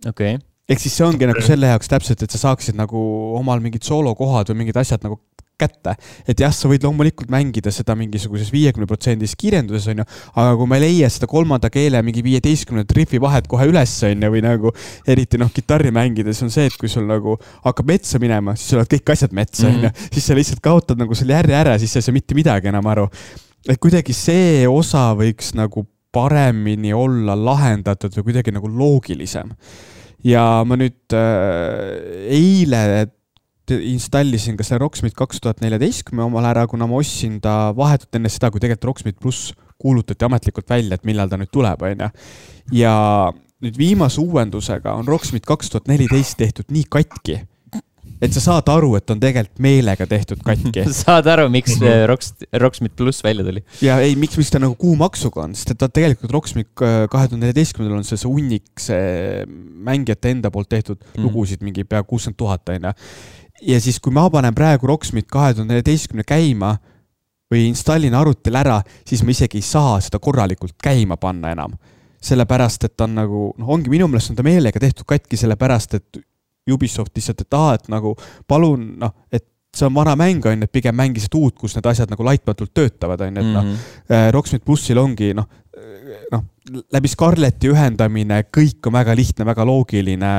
A: Okei. Okay.
B: Ehk siis see ongi okay. nagu selle jaoks täpselt, et sa saaksid nagu omal mingid soolokohad või mingid asjad nagu kätte. Et jah, sa võid loomulikult mängida seda mingisuguses viiekümne protsendis kiirenduses, on ju, aga kui ma ei leia seda kolmanda keele mingi viieteistkümne riffi vahet kohe üles, on ju, või nagu eriti noh, kitarri mängides on see, et kui sul nagu hakkab metsa minema, siis sul oled kõik asjad metsa, on ju, siis sa lihtsalt kaotad nagu selle järje ära, siis sa ei saa mitte midagi enam aru. Et kuidagi see osa võiks nagu paremini olla lahendatud või kuidagi nagu loogilisem. Ja ma nüüd äh, eile installisin ka see Rocksmith kaks tuhat neliteist omal ära, kuna ma ostsin ta vahetult enne seda, kui tegelikult Rocksmith Plus kuulutati ametlikult välja, et millal ta nüüd tuleb, on ju. Ja nüüd viimase uuendusega on Rocksmith kaks tuhat neliteist tehtud nii katki, et sa saad aru, et on tegelikult meelega tehtud katki.
A: Saad aru, miks Rocksmith Plus välja tuli?
B: Ja ei, miks, miks ta nagu kuumaksuga on, sest et ta tegelikult Rocksmith kahe tuhande neljateistkümnendal on see, see unnik, see mängijate enda poolt tehtud lugusid mingi pea kuuskümmend tuhat, on ju. Ja siis, kui ma panen praegu Rocksmith kahe tuhande neljateistkümne käima või installin arvutil ära, siis ma isegi ei saa seda korralikult käima panna enam. Sellepärast, et on nagu, noh, ongi minu meelest on ta meelega tehtud katki, sellepärast, et Ubisoft lihtsalt, et aha, et nagu palun, noh, et see on vana mäng, on, et pigem mängisid uut, kus need asjad nagu laitmatult töötavad, on, et mm-hmm. noh, Rocksmith Plussil ongi, noh, noh, läbi Scarleti ühendamine, kõik on väga lihtne, väga loogiline,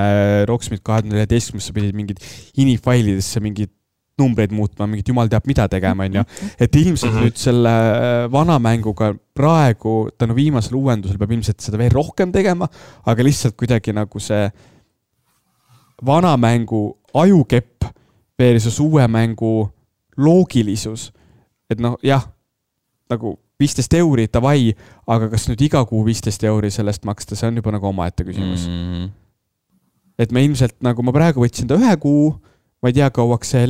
B: Rocksmith kahe tuhande neljateistkümnendal sa pidid mingid inifailidesse mingid numbreid muutma, mingid jumal teab mida tegema, on ju. Et ilmselt mm-hmm. nüüd selle vana mänguga praegu, tänu viimasel uuendusel peab ilmselt seda veel rohkem tegema, aga lihtsalt kuidagi nagu see vana mängu ajukepp versus uue mängu loogilisus. Et noh, jah, nagu viisteist euri tavai, aga kas nüüd iga kuu viisteist euri sellest maksta, see on juba nagu omaette küsimus. Mm-hmm. Et me ilmselt, nagu ma praegu võtsin ta ühe kuu, ma ei tea, kauaks see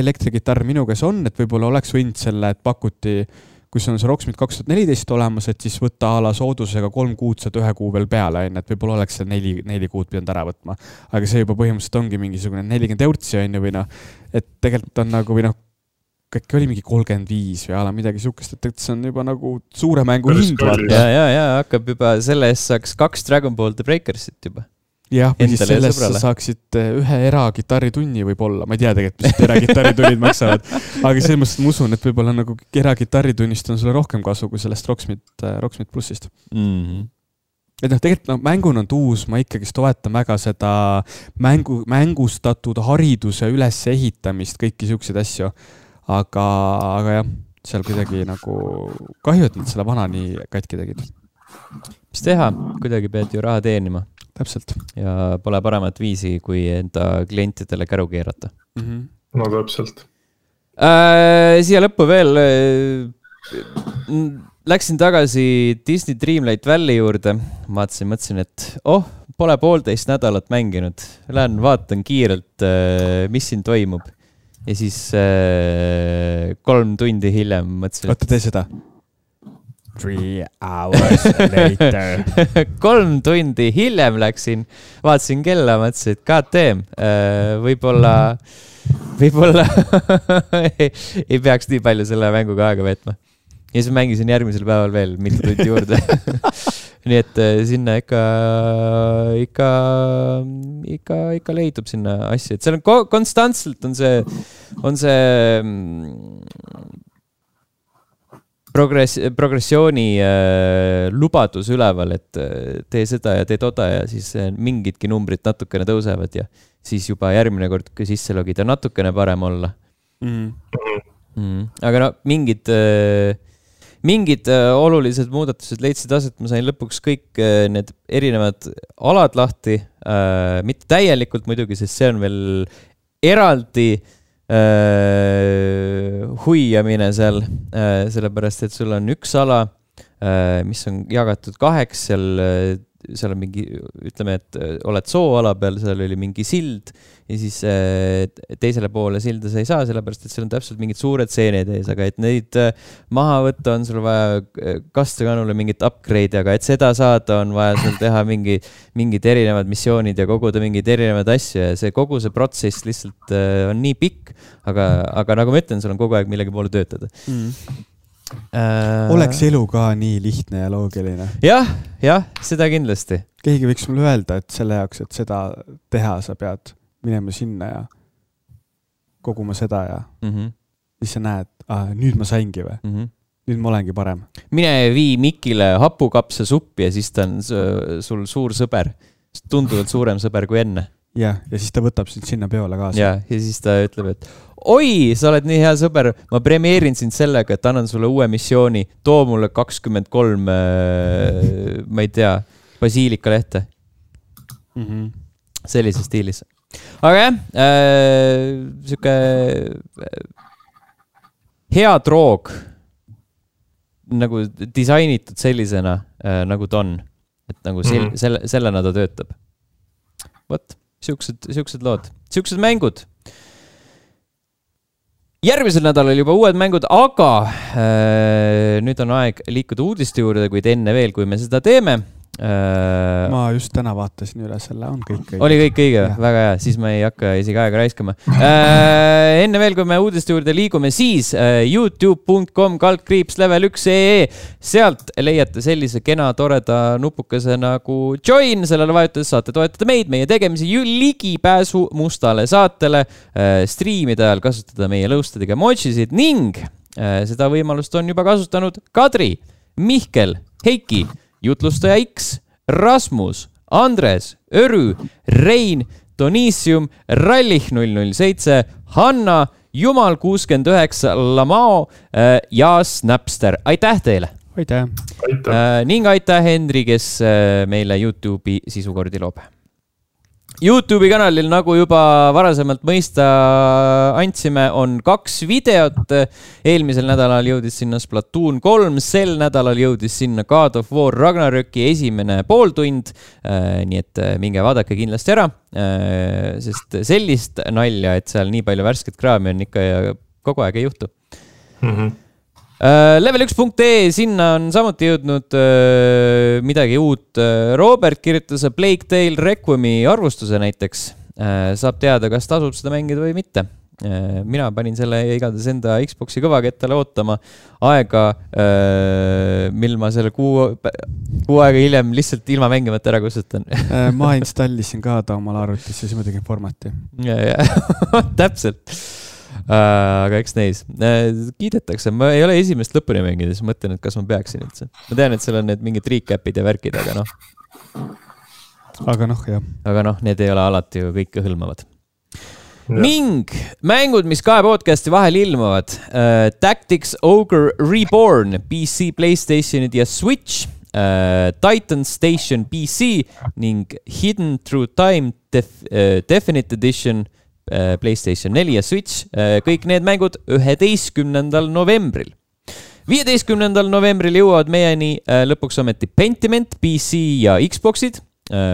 B: elektrigitarr minu käes on, et võib-olla oleks võinud selle, et pakuti, kui see on see Rocksmith kaks tuhat neliteist olemas, et siis võtta ala soodusega kolm kuud saad ühe kuu veel peale, et võib-olla oleks see neli, neli kuud pidanud ära võtma. Aga see juba põhimõtteliselt ongi mingisugune nelikümmend eurtsi on ju, või noh, et tegelikult on nagu, või noh, kõik oli mingi kolmkümmend viis või ala midagi sukest, et see on juba nagu suure mängu hind.
A: Ja, ja, ja, hakkab juba, selle eest saaks kaks Dragon Ball The Breakersit juba.
B: Jah, või siis sellest sa saaksid ühe eragitarritunni võib-olla, ma ei tea tegelikult, mis eragitarritunnid maksavad, aga selles mõttes ma usun, et võib-olla nagu eragitarritunnist on sulle rohkem kasu kui sellest Rocksmith, Rocksmith Plussist. Mm-hmm. Et noh, tegelikult no, mängun on tuus, ma ikkagi toetan väga seda mängu, mängustatud hariduse üles ehitamist, kõiki siukseid asju, aga, aga jah, seal kuidagi nagu kahju, et nad selle vana nii katki tegid.
A: Mis teha? Kuidagi pead ju raha teenima.
B: Täpselt.
A: Ja pole paremat viisi, kui enda klientidele käru keerata.
C: Mm-hmm. No täpselt.
A: Äh, siia lõppu veel äh, läksin tagasi Disney Dreamlight Valley juurde. Vaatasin, mõtlesin, et oh, pole poolteist nädalat mänginud. Lähen vaatan kiirelt, äh, mis siin toimub. Ja siis äh, kolm tundi hiljem mõtlesin...
B: Oota, tee seda. Three hours later.
A: Kolm tundi hiljem läksin, vaatasin kella, mõtlesin, et god damn, võib-olla, võib-olla ei, ei peaks nii palju selle mänguga aega veetma. Ja siis mängisin järgmisel päeval veel mitu tundi juurde. Nii et sinna ikka, ikka, ikka, ikka leidub sinna asja. Et seal on ko- konstantselt on see, on see progress, progressiooni äh, lubadus üleval, et tee seda ja tee toda ja siis mingidki numbrid natukene tõusevad ja siis juba järgmine kord, kui sisse logida, natukene parem olla. Mm. Mm. Aga no mingid, äh, mingid äh, olulised muudatused leidsid aset, ma sain lõpuks kõik äh, need erinevad alad lahti, äh, mitte täielikult muidugi, sest see on veel eraldi Uh, huiamine seal, uh, sellepärast, et sul on üks ala, uh, mis on jagatud kaheks, seal, uh, seal on mingi, ütleme, et uh, oled sooala peal, seal oli mingi sild ja siis uh, teisele poole silda sa ei saa, sellepärast, et seal on täpselt mingid suured seened ees, aga et neid uh, maha võtta on sul vaja kastekanule mingit upgrade, aga et seda saada on vaja sul teha mingi, mingid erinevad missioonid ja koguda mingid erinevad asju ja see kogu see protsess lihtsalt uh, on nii pikk, aga, aga nagu ma ütlen, sul on kogu aeg millegi poole töötada. Mm.
B: Uh, Oleks elu ka nii lihtne ja loogiline?
A: Jah, jah, seda kindlasti.
B: Keegi võiks mulle öelda, et selle jaoks, et seda teha, sa pead minema sinna ja koguma seda ja
A: mm -hmm.
B: siis sa näed, ah, nüüd ma saingi või mm. -hmm. nüüd ma olengi parem.
A: Mine vii Mikile hapukapsa suppi ja siis ta on sul suur sõber. Tunduvalt suurem sõber kui enne.
B: Ja, ja siis ta võtab sind sinna peole kaasa.
A: Ja, ja siis ta ütleb, et oi, sa oled nii hea sõber, ma premeerin sind sellega, et annan sulle uue missiooni, too mulle kakskümmend kolm, ma ei tea, basiilika lehte. Mm -hmm. Sellise stiilis. Aga jah, äh, siuke hea droog nagu disainitud sellisena, äh, nagu ta on. Et nagu sel, mm -hmm. selle, sellena ta töötab. Võt, siuksed, siuksed lood, siuksed mängud. Järgmisel nädalal juba uued mängud, aga äh, nüüd on aeg liikuda uudiste juurde, kuid enne veel, kui me seda teeme. Äh,
B: ma just täna vaatasin üle selle, on kõik õige.
A: Oli kõik õige, väga hea, siis ma ei hakka isegi aega raiskama. Äh, enne veel, kui me uudiste juurde liigume, siis äh, youtube punkt com kaldkriips level üks punkt ee. Sealt leiate sellise kena toreda nupukese nagu join, sellele vajutades saate toetada meid, meie tegemisi ligipääsu mustale saatele, äh, striimide ajal kasutada meie lõustadega emojisid ning äh, seda võimalust on juba kasutanud Kadri, Mihkel, Heiki, Jutlustaja X, Rasmus, Andres, Örü, Rein, Donisium, Rallih null null seitse, Hanna, Jumal kuuskümmend üheksa, Lamao äh, ja Snapster. Aitäh teile!
B: Aitäh!
C: Aitäh.
A: Äh, ning aitäh Henri, kes äh, meile YouTube'i sisukordi loob. YouTube'i kanalil, nagu juba varasemalt mõista andsime, on kaks videot. Eelmisel nädalal jõudis sinna Splatoon kolm, sel nädalal jõudis sinna God of War Ragnaröki esimene pooltund. Nii et minge vaadake kindlasti ära, sest sellist nalja, et seal nii palju värsket kraami on ikka ja kogu aeg ei juhtu. Mm-hmm. level üks punkt ee, sinna on samuti jõudnud uh, midagi uut. Robert kirjutas Plague Tale Requiemi arvustuse näiteks. Uh, saab teada, kas tasub seda mängida või mitte. Uh, mina panin selle igatahes enda Xboxi kõvakettale ootama aega, uh, mil ma selle kuu, kuu aega hiljem lihtsalt ilma mängimata ära kustutan.
B: ma installisin ka ta omal arvutisse, siis ma tegin formati.
A: Ja, ja. Täpselt. Uh, aga eks neis uh, kiidetakse, ma ei ole esimest lõpuni mänginud, siis mõtlen, et kas ma peaksin üldse. Ma tean, et seal on need mingid recapid ja värkid, aga noh.
B: Aga noh, jah.
A: Aga noh, need ei ole alati ju kõike hõlmavad. Ja. Ning mängud, mis kahe podcasti vahel ilmuvad. Uh, Tactics Ogre Reborn, P C, PlayStationid ja Switch. Uh, Titan Station P C ning Hidden Through Time def, uh, Definite Edition PlayStation neli ja Switch, kõik need mängud üheteistkümnendal novembril. viieteistkümnendal novembril jõuavad meieni lõpuks ometi Pentiment P C ja Xboxid,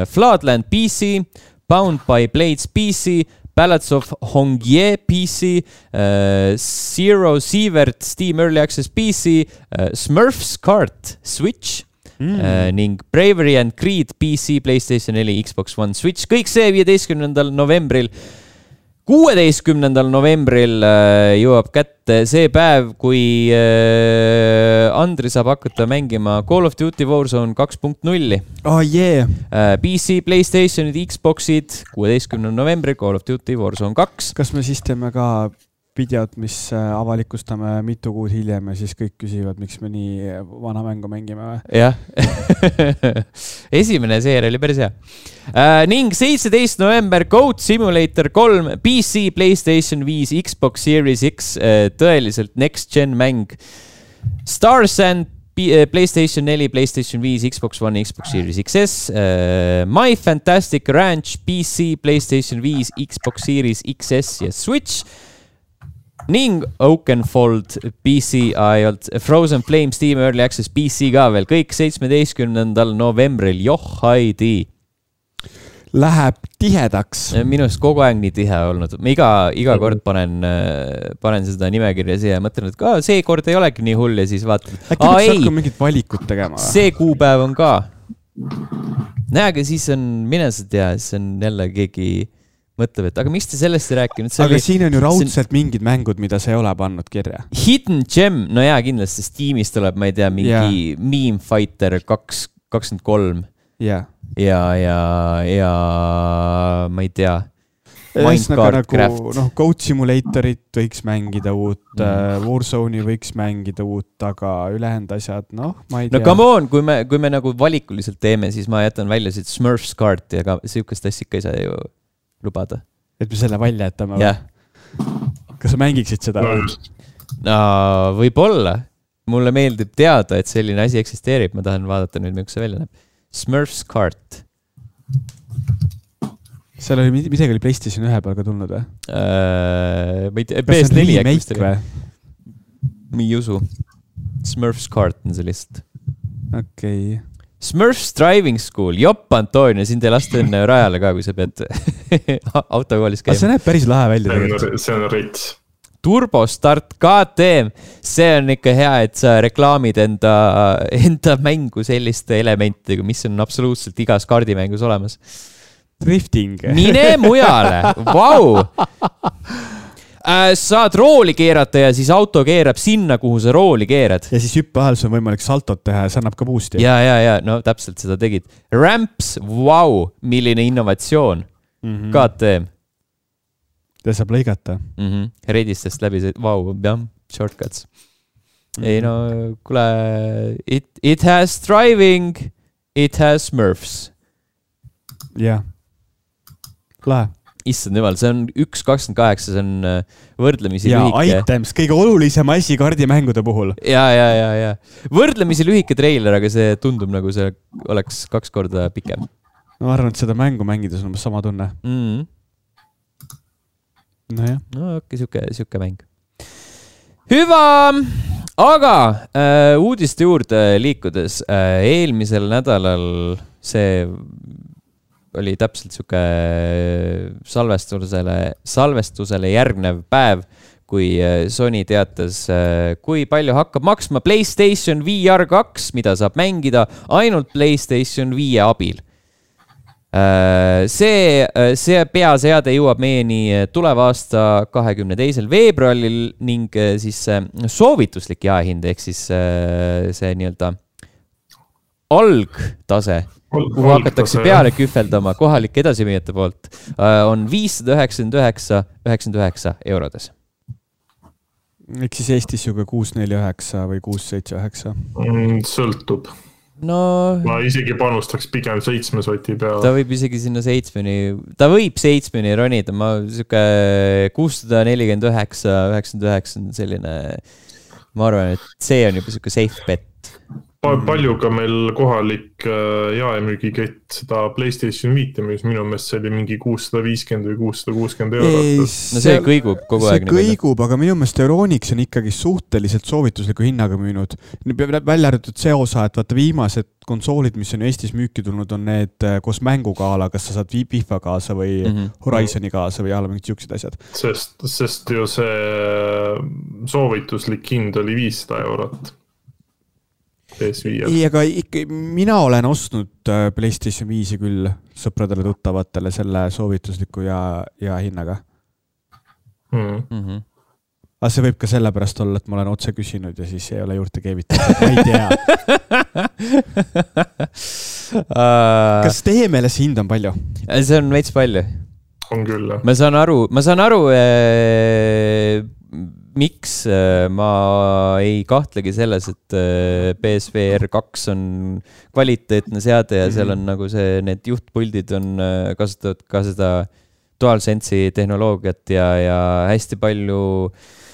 A: Floodland P C, Bound by Blades P C, Ballads of Hongie P C, Zero Sievert Steam Early Access P C, Smurfs Kart Switch mm. ning Bravery and Creed P C, PlayStation neli, Xbox One, Switch. Kõik see viieteistkümnendal novembril. kuueteistkümnendal novembril jõuab kätte see päev, kui Andri saab hakata mängima Call of Duty Warzone kaks punkt null.
B: Oh yeah!
A: P C, PlayStationid, Xboxid, kuueteistkümnendal novembril Call of Duty Warzone kaks.
B: Kas me siis teeme ka videot, mis avalikustame mitu kuud hiljem ja siis kõik küsivad, miks me nii vana mängu mängime või?
A: Jah. Esimene seer oli päris hea. Uh, ning seitseteist november Goat Simulator kolm, P C, PlayStation viis, Xbox Series X, uh, tõeliselt next gen mäng. Star Sand, PlayStation neli, PlayStation viis, Xbox One, Xbox Series X S, uh, My Fantastic Ranch, P C, PlayStation viis, Xbox Series X S ja Switch. Ning Oakenfold P C, Frozen Flame Steam Early Access P C ka veel, kõik seitsmeteistkümnendal novembril, joh haidi.
B: Läheb tihedaks.
A: Minust kogu aeg nii tihe olnud. Ma iga, iga kord panen, panen seda nimekirja siia ja mõtlen, et ka see kord ei olegi nii hull ja siis vaatad.
B: Äkki võiks hakka mingit valikut tegema?
A: See kuupäev on ka. Näe, aga siis on, mine sa tea, siis on jälle keegi mõtleb, et aga miks te sellest ei rääkinud?
B: Aga oli, siin on ju raudselt on... mingid mängud, mida sa ei ole pannud kirja.
A: Hidden Gem, no jaa, kindlasti Steamis tuleb, ma ei tea, mingi yeah. Meme Fighter kaks, kakskümmend kolm.
B: Yeah.
A: Ja, ja, ja ma ei tea. Minecraft
B: nagu,
A: Craft.
B: noh, Goat Simulatorit võiks mängida uut, mm. Warzone'i võiks mängida uut, aga ülejäänud asjad, noh, ma ei tea.
A: No come on, kui me, kui me nagu valikuliselt teeme, siis ma jätan välja siit Smurfs kaarti, aga sihukest asja ikka ei saa ju lubada.
B: Et me selle välja jätame?
A: Jah.
B: Kas sa mängiksid seda?
A: No, võib-olla. Mulle meeldib teada, et selline asi eksisteerib. Ma tahan vaadata nüüd, milline see välja näeb. Smurfs kaart.
B: Seal oli midagi oli PlayStation ühe peal ka tulnud või?
A: Uh, P S neli
B: äkki või?
A: Ma ei usu. Smurfs kart on see list.
B: Okei. Okay.
A: Smurfs Driving School. Jopp, Antonio, siin te laste enne rajale ka, kui sa pead autokoolis käima.
B: See näeb päris lahe välja.
C: See on rits.
A: Turbostart K T M. See on ikka hea, et sa reklaamid enda, enda mängu selliste elementidega, mis on absoluutselt igas kaardimängus olemas.
B: Drifting.
A: Mine mujale. Vau. Saad rooli keerata ja siis auto keerab sinna, kuhu sa rooli keerad.
B: Ja siis hüppe ajal on võimalik saltot teha ja see annab ka boost'i.
A: Ja, ja, ja, no täpselt seda tegid. Ramps, vau, milline innovatsioon. Mm-hmm. K T M.
B: Ja saab lõigata.
A: Mm-hmm. Redistest läbi see, vau, jah, shortcuts. Mm-hmm. Ei no, kule, it, it has driving, it has Smurfs.
B: Jah. Lahe.
A: Issand jumal, see on üks kakskümmend kaheksa, see on võrdlemisi
B: ja,
A: lühike.
B: Ja, items, kõige olulisem asi kardimängude puhul.
A: Ja, ja, ja, ja. Võrdlemisi lühike treiler, aga see tundub nagu see oleks kaks korda pikem.
B: Ma arvan, et seda mängu mängides on sama tunne.
A: Mm.
B: No jah.
A: No okei, siuke, siuke mäng. Hüva, aga äh, uudiste juurde liikudes äh, eelmisel nädalal see oli täpselt siuke salvestusele, salvestusele järgnev päev, kui Sony teatas, kui palju hakkab maksma PlayStation V R kaks, mida saab mängida ainult PlayStation viie abil. See, see peaseade jõuab meieni tuleva aasta kahekümne teisel veebruaril ning siis soovituslik jaehind, ehk siis see nii-öelda algtase, kuhu hakatakse peale kühveldama kohalike edasimüüjate poolt, on viissada üheksakümmend üheksa üheksakümmend üheksa eurodes.
B: Eks siis Eestis juba kuus neli üheksa või kuus seitse üheksa?
C: Sõltub.
A: No,
C: ma isegi panustaks pigem seitsme soti peale.
A: Ta võib isegi sinna seitsmeni, ta võib seitsmeni ronida, ma siuke kuussada nelikümmend üheksa üheksakümmend üheksa selline, ma arvan, et see on juba siuke safe bet.
C: Palju ka meil kohalik jaemüügikett seda PlayStation viite, mis minu meelest see oli mingi kuussada viiskümmend või kuussada kuuskümmend eurot.
A: No see kõigub kogu aeg.
B: See kõigub, aga minu meelest Euronix on ikkagi suhteliselt soovitusliku hinnaga müünud. Välja arvatud see osa, et vaata viimased konsoolid, mis on Eestis müüki tulnud, on need koos mängugaala, kas sa saad FIFA kaasa või mm-hmm. Horizoni kaasa või alla mingid siuksed asjad.
C: Sest, sest ju see soovituslik hind oli viissada eurot. P S viie.
B: Ei, aga ikka, mina olen ostnud PlayStation viisi küll sõpradele tuttavatele selle soovitusliku ja, ja hinnaga.
A: Mm-hmm.
B: Aga see võib ka sellepärast olla, et ma olen otse küsinud ja siis ei ole juurde keevitatud. Ma ei tea. Kas teie meeles hind on palju?
A: See on veits palju.
C: On küll, jah.
A: Ma saan aru, ma saan aru ee, miks ma ei kahtlegi selles, et P S V R kaks on kvaliteetne seade ja seal on nagu see, need juhtpuldid on kasutavad ka seda DualSense'i tehnoloogiat ja, ja hästi palju,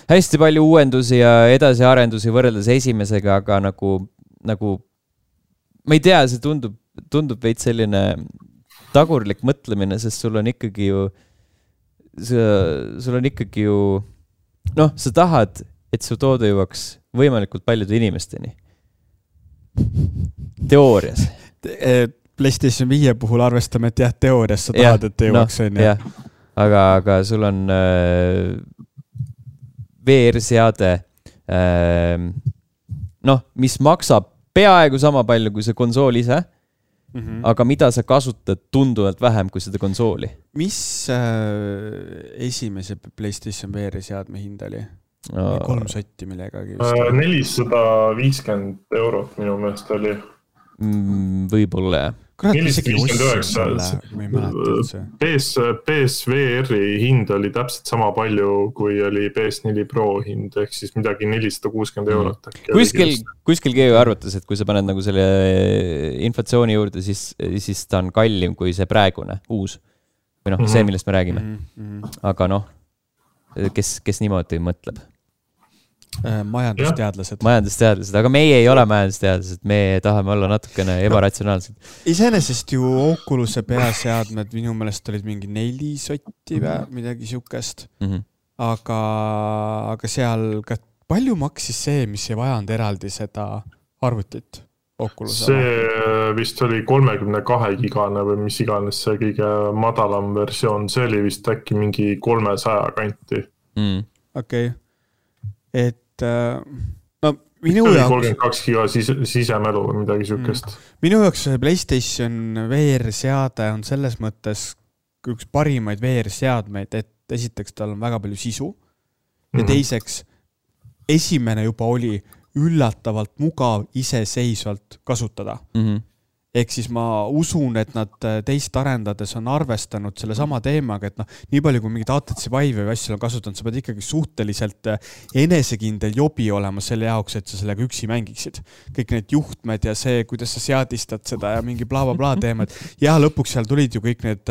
A: hästi palju uuendusi ja edasiarendusi võrreldes esimesega, aga nagu, nagu ma ei tea, see tundub, tundub veits selline tagurlik mõtlemine, sest sul on ikkagi ju sul on ikkagi ju noh, sa tahad, et su toode jõuaks võimalikult paljude inimesteni. Teoorias.
B: PlayStation viie puhul arvestame, et jah, teoorias sa tahad, ja, et jõuaks no, on.
A: Jah. Aga, aga sul on äh, V R-seade, äh, noh, mis maksab peaaegu sama palju kui see konsool ise, mm-hmm. aga mida sa kasutad tunduvalt vähem kui seda konsooli.
B: Mis äh, esimese PlayStation V R-seadme hind oli? No. Kolm sotti millegagi.
C: nelisada viiskümmend eurot minu meelest oli.
A: Võib-olla jah.
C: nelisada viiskümmend üheksa P S V R-i hind oli täpselt sama palju, kui oli P S neli Pro hind, ehk siis midagi nelisada kuuskümmend eurot.
A: Kuskil, kuskil keegi arvatas, et kui sa paned nagu selle inflatsiooni juurde, siis, siis ta on kallim kui see praegune, uus. Või noh, mm-hmm. see, millest me räägime. Mm-hmm. Aga noh, kes, kes niimoodi mõtleb?
B: Majandusteadlased.
A: Majandusteadlased, aga meie ei ole majandusteadlased, me tahame olla natukene ebaratsionaalsed.
B: Iseenesest ju Oculus'e peaseadmed minu meelest olid mingi neli sotti või midagi siukest. Mm-hmm. Aga, aga seal ka palju maksis see, mis ei vajanud eraldi seda arvutit Oculus'e?
C: See vist oli kolmekümne kahe gigane või mis iganes see kõige madalam versioon, see oli vist äkki mingi kolmesaja kanti.
A: Mm.
B: Okei. Okay. Et no minu
C: jaoks
B: kolmkümmend
C: kaks giga sisemelu või midagi siukest.
B: Mm. Minu jaoks PlayStation V R-seade on selles mõttes üks parimaid V R-seadmeid, et esiteks tal on väga palju sisu ja mm-hmm. teiseks esimene juba oli üllatavalt mugav iseseisvalt kasutada. Mm-hmm. Ehk siis ma usun, et nad teist arendades on arvestanud selle sama teemaga, et noh, nii palju kui mingid A T C Vive või asjal on kasutanud, sa pead ikkagi suhteliselt enesekindel jobi olema selle jaoks, et sa sellega üksi mängiksid. Kõik need juhtmed ja see, kuidas sa seadistad seda ja mingi bla bla bla teemad. Ja lõpuks seal tulid ju kõik need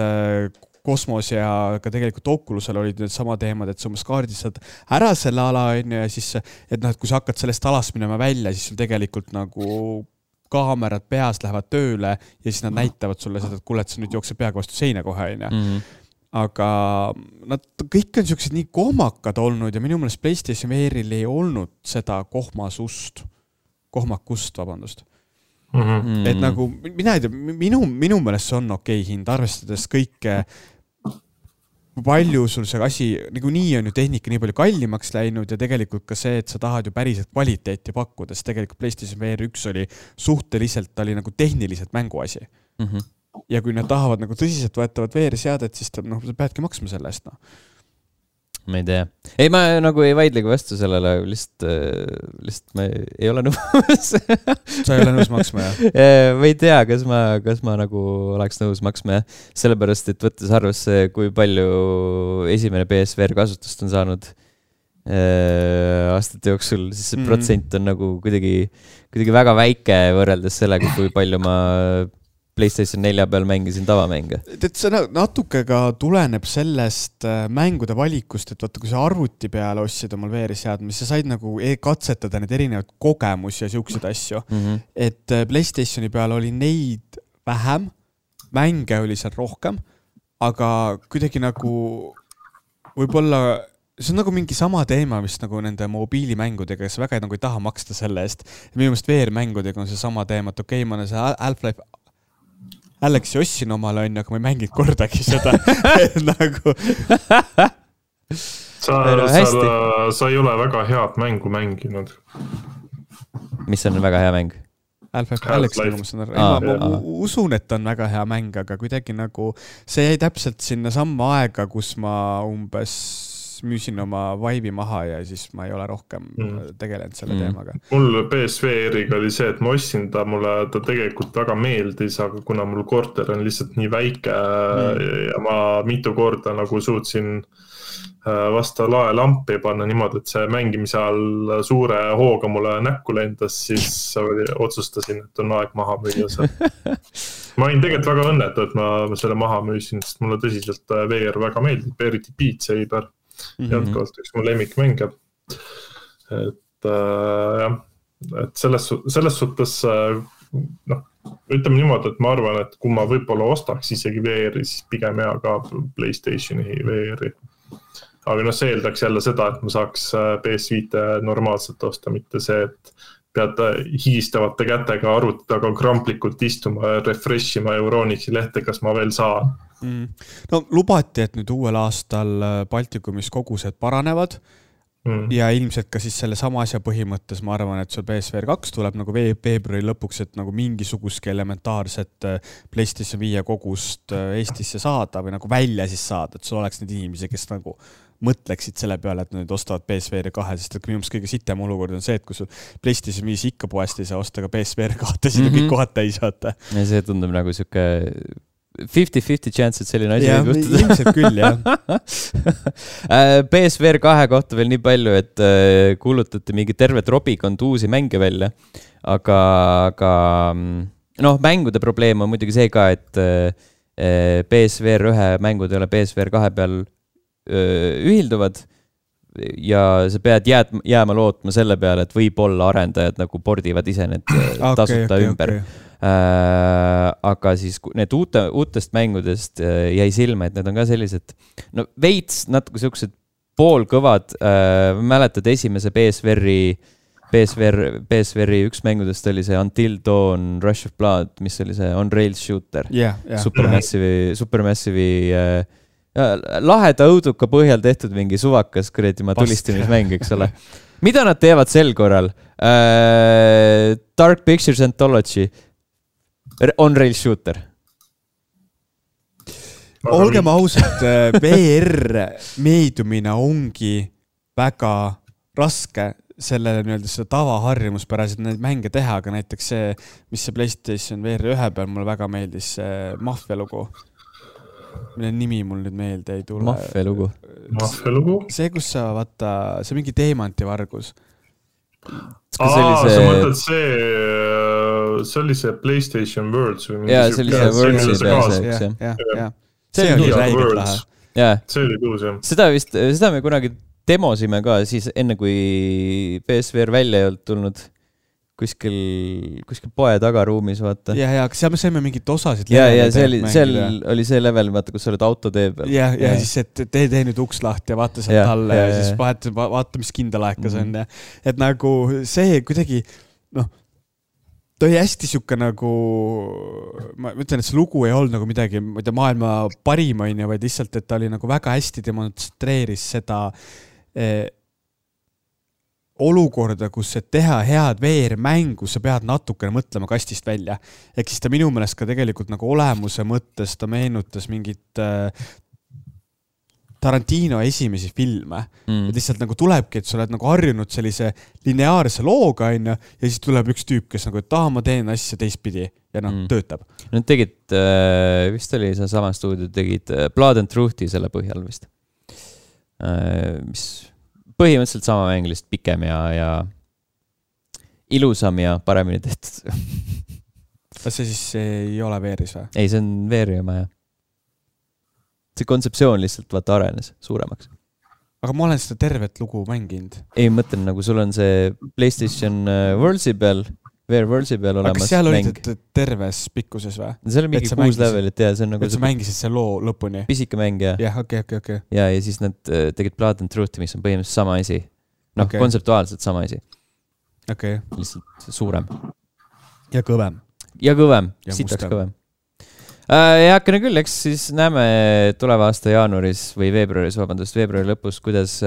B: Kosmos ja ka tegelikult Oculusel olid need sama teemad, et sa umbes kaardistad ära selle ala ja siis, et noh, et kui sa hakkad sellest alast minema välja, siis sul tegelikult nagu kaamerad peas lähevad tööle ja siis nad näitavad sulle seda, et kuule, et sa nüüd jookseb peaga vastu seina kohe. Mm-hmm. Aga nad kõik on siuksed nii kohmakad olnud ja minu meelest PlayStation V R-il ei olnud seda kohmasust, kohmakust, vabandust. Mm-hmm. Et nagu, mina ei tea, minu, minu meelest see on okei hind, arvestades kõike, palju sul see asi, nagu nii on ju tehnika nii palju kallimaks läinud ja tegelikult ka see, et sa tahad ju päriselt kvaliteeti pakkuda, sest tegelikult PlayStation V R üks oli suhteliselt, ta oli nagu tehniliselt mänguasi. Mm-hmm. Ja kui nad tahavad nagu tõsiselt võetavad V R-seadet, siis ta, noh, sa peadki maksma selle eest, noh.
A: Ma ei tea. Ei, ma nagu ei vaidlegi vastu sellele, lihtsalt, lihtsalt ma ei ole nõus.
B: Sa ei ole nõus maksma,
A: jah? Ma ei tea, kas ma, kas ma nagu oleks nõus maksma, jah. Sellepärast, et võttes arvesse, kui palju esimene P S V R kasutust on saanud äh, aastate jooksul, siis see mm. protsent on nagu kuidagi, kuidagi väga väike võrreldes sellega, kui palju ma PlayStation nelja peal mängisin tavamänge.
B: Et see natuke ka tuleneb sellest mängude valikust, et vaata, kui sa arvuti peale ostsid omal V R-seadme, siis sa said nagu katsetada need erinevad kogemusi ja siukseid asju. Mm-hmm. Et PlayStationi peal oli neid vähem, mänge oli seal rohkem, aga kuidagi nagu võib-olla see on nagu mingi sama teema, mis nagu nende mobiilimängudega, kes väga nagu ei taha maksta selle eest. Ja minu meelest V R-mängudega on see sama teema, et okei, ma olen see Half-Life Alexi ossin omale on, aga ma ei mängid kordagi seda. nagu...
C: sa, sa, sa ei ole väga head mängu mänginud.
A: Mis on väga hea mäng?
B: Half-Life Alex, nagu ma saan aru. Ma, ma usun, et on väga hea mäng, aga kuidagi nagu see jäi täpselt sinna samma aega, kus ma umbes müüsin oma Vive'i maha ja siis ma ei ole rohkem mm. tegelenud selle mm. teemaga.
C: Mul P S V R-iga oli see, et ma ostsin ta, mulle ta tegelikult väga meeldis, aga kuna mul korter on lihtsalt nii väike mm. ja ma mitu korda nagu suutsin vasta lae lampi panna niimoodi, et see mängimise all suure hooga mulle näkku lendas, siis otsustasin, et on aeg maha müüa see. Ma olin tegelikult väga õnnetu, et ma selle maha müüsin, sest mulle tõsiselt V R väga meeldib, eriti Beat Saber. Mm-hmm. Jätkalt üks mu lemmikmänge. Et äh, jah, et selles, selles suhtes äh, noh, ütleme niimoodi, et ma arvan, et kui ma võib-olla ostaks isegi V R-i, siis pigem hea ka PlayStationi V R-i. Aga noh, see eeldaks jälle seda, et ma saaks P S viite normaalselt osta, mitte see, et pead higistavate kätega arvutaga kramplikult istuma ja refreshima Euronixi lehte, kas ma veel saan.
B: Mm. No lubati, et nüüd uuel aastal Baltikumis kogused paranevad mm. ja ilmselt ka siis selle sama asja põhimõttes ma arvan, et sul P S V R kaks tuleb nagu veebruari lõpuks, et nagu mingisugustki elementaarset PlayStation viie kogust Eestisse saada või nagu välja siis saada, et sul oleks need inimesi, kes nagu mõtleksid selle peale, et nad ostavad P S V R kahe, sest et minu meelest kõige sitem olukord on see, et kui sul PlayStation viis ikka poest ei saa osta ka P S V R kahte, siis mm -hmm. kõik kohad täis vaata.
A: Ja see tundub nagu siuke fifty fifty chance, et selline asi
B: võib juhtuda. Ilmselt küll, jah.
A: P S V R kahe kohta veel nii palju, et kuulutati mingi terve trobikond uusi mänge välja, aga, aga noh, mängude probleem on muidugi see ka, et P S V R ühe mängud ei ole P S V R kahe peal ühilduvad ja sa pead jääd, jääma lootma selle peale, et võib-olla arendajad nagu pordivad ise need tasuta okay, okay, ümber. Okay. Äh, aga siis need uute, uutest mängudest äh, jäi silma, et need on ka sellised, no veits natuke siuksed poolkõvad, äh, mäletad esimese P S V R-i, P S V R, P S V R-i üks mängudest oli see Until Dawn, Rush of Blood, mis oli see On Rails Shooter,
B: yeah, yeah.
A: Supermassive'i, Supermassive'i äh, laheda õuduka põhjal tehtud mingi suvakas kuradi tulistamismäng, eks ole. Mida nad teevad sel korral? Äh, Dark Pictures Anthology, On Rails Shooter.
B: Olgem ausalt, V R meedumine ongi väga raske sellele nii-öelda seda tavaharjumuspäraselt neid mänge teha, aga näiteks see, mis see PlayStation V R ühe peal mulle väga meeldis, see Mafia lugu. Mille nimi mul nüüd meelde ei tule.
A: Mafia lugu.
C: Mafia lugu?
B: See, kus sa vaata, see mingi teemantivargus.
C: Aa, see... sa mõtled see, see oli see PlayStation Worlds või mingi
A: jaa, see oli see Worlds
B: ja, ja, ja. See oli räigelt lahe.
C: See oli tuus, jah.
A: Seda vist, seda me kunagi demosime ka siis enne, kui P S V R välja ei olnud tulnud kuskil, kuskil poe tagaruumis, vaata.
B: Ja, ja, seal me saime mingit osasid.
A: Ja, ja see oli, seal oli see level, vaata, kus sa oled auto tee peal.
B: Ja, ja, ja siis, et tee, tee nüüd uks lahti ja vaata sealt alla ja, ja, ja siis vaata, vaata, mis kindalaekas mm. on. Ja. Et nagu see kuidagi, noh, ta oli hästi siuke nagu, ma ütlen, et see lugu ei olnud nagu midagi, ma ei tea, maailma parim on ja vaid lihtsalt, et ta oli nagu väga hästi demonstreeris seda eh, olukorda, kus et teha head V R-mängu, sa pead natukene mõtlema kastist välja. Ehk siis ta minu meelest ka tegelikult nagu olemuse mõttes ta meenutas mingit äh, Tarantino esimesi filme. Mm. Et lihtsalt nagu tulebki, et sa oled nagu harjunud sellise lineaarse looga ja siis tuleb üks tüüp, kes nagu, et taha, ma teen asja teistpidi ja noh, mm. töötab.
A: Nad tegid, äh, vist oli see sama stuudio, tegid äh, Blood and Truth'i selle põhjal vist. Äh, mis põhimõtteliselt sama mäng, lihtsalt pikem ja, ja ilusam ja paremini tehtud.
B: Kas see siis ei ole V R-is või?
A: Ei, see on V R-i oma, jah. See kontseptsioon lihtsalt vaata arenes suuremaks.
B: Aga ma olen seda tervet lugu mänginud.
A: Ei, mõtlen, nagu sul on see PlayStation Worldsi peal, V R Worldsi peal olemas mäng.
B: Aga seal olid terves pikkuses või?
A: See oli mingi kuus levelit, jah.
B: Et sa mängisid see loo lõpuni?
A: Pisike mäng, jah.
B: Jah, okei, okei, okei.
A: Ja, ja siis nad tegid Blood and Truth'i, mis on põhimõtteliselt sama asi. Noh, okay. Kontseptuaalselt sama asi.
B: Okei. Okay.
A: Lihtsalt suurem.
B: Ja kõvem.
A: Ja kõvem, sitaks kõvem. Ja hakkene küll, eks siis näeme tuleva aasta jaanuaris või veebruaris, vabandust, veebruari lõpus, kuidas,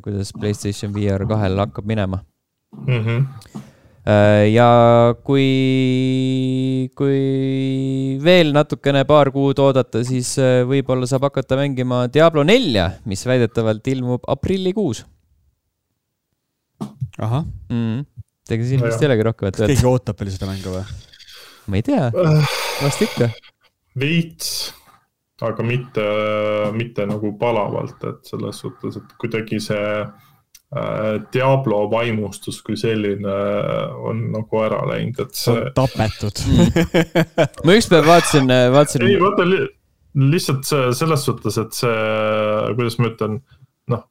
A: kuidas PlayStation V R kahel hakkab minema.
C: Mhm.
A: Ja kui, kui veel natukene paar kuud oodata, siis võib-olla saab hakata mängima Diablo nelja, mis väidetavalt ilmub aprillikuus.
B: Aha.
A: Mm. Tega siin vist ei olegi rohkem.
B: Kas keegi ootab veel seda mängu või?
A: Ma ei tea, vast ikka.
C: Veits, aga mitte, mitte nagu palavalt, et selles suhtes, et kuidagi see Diablo vaimustus kui selline on nagu ära läinud, et see
B: on tapetud.
A: Ma ükspäev vaatasin, vaatasin...
C: Ei, vaata li lihtsalt see, selles suhtes, et see, kuidas ma ütlen, noh,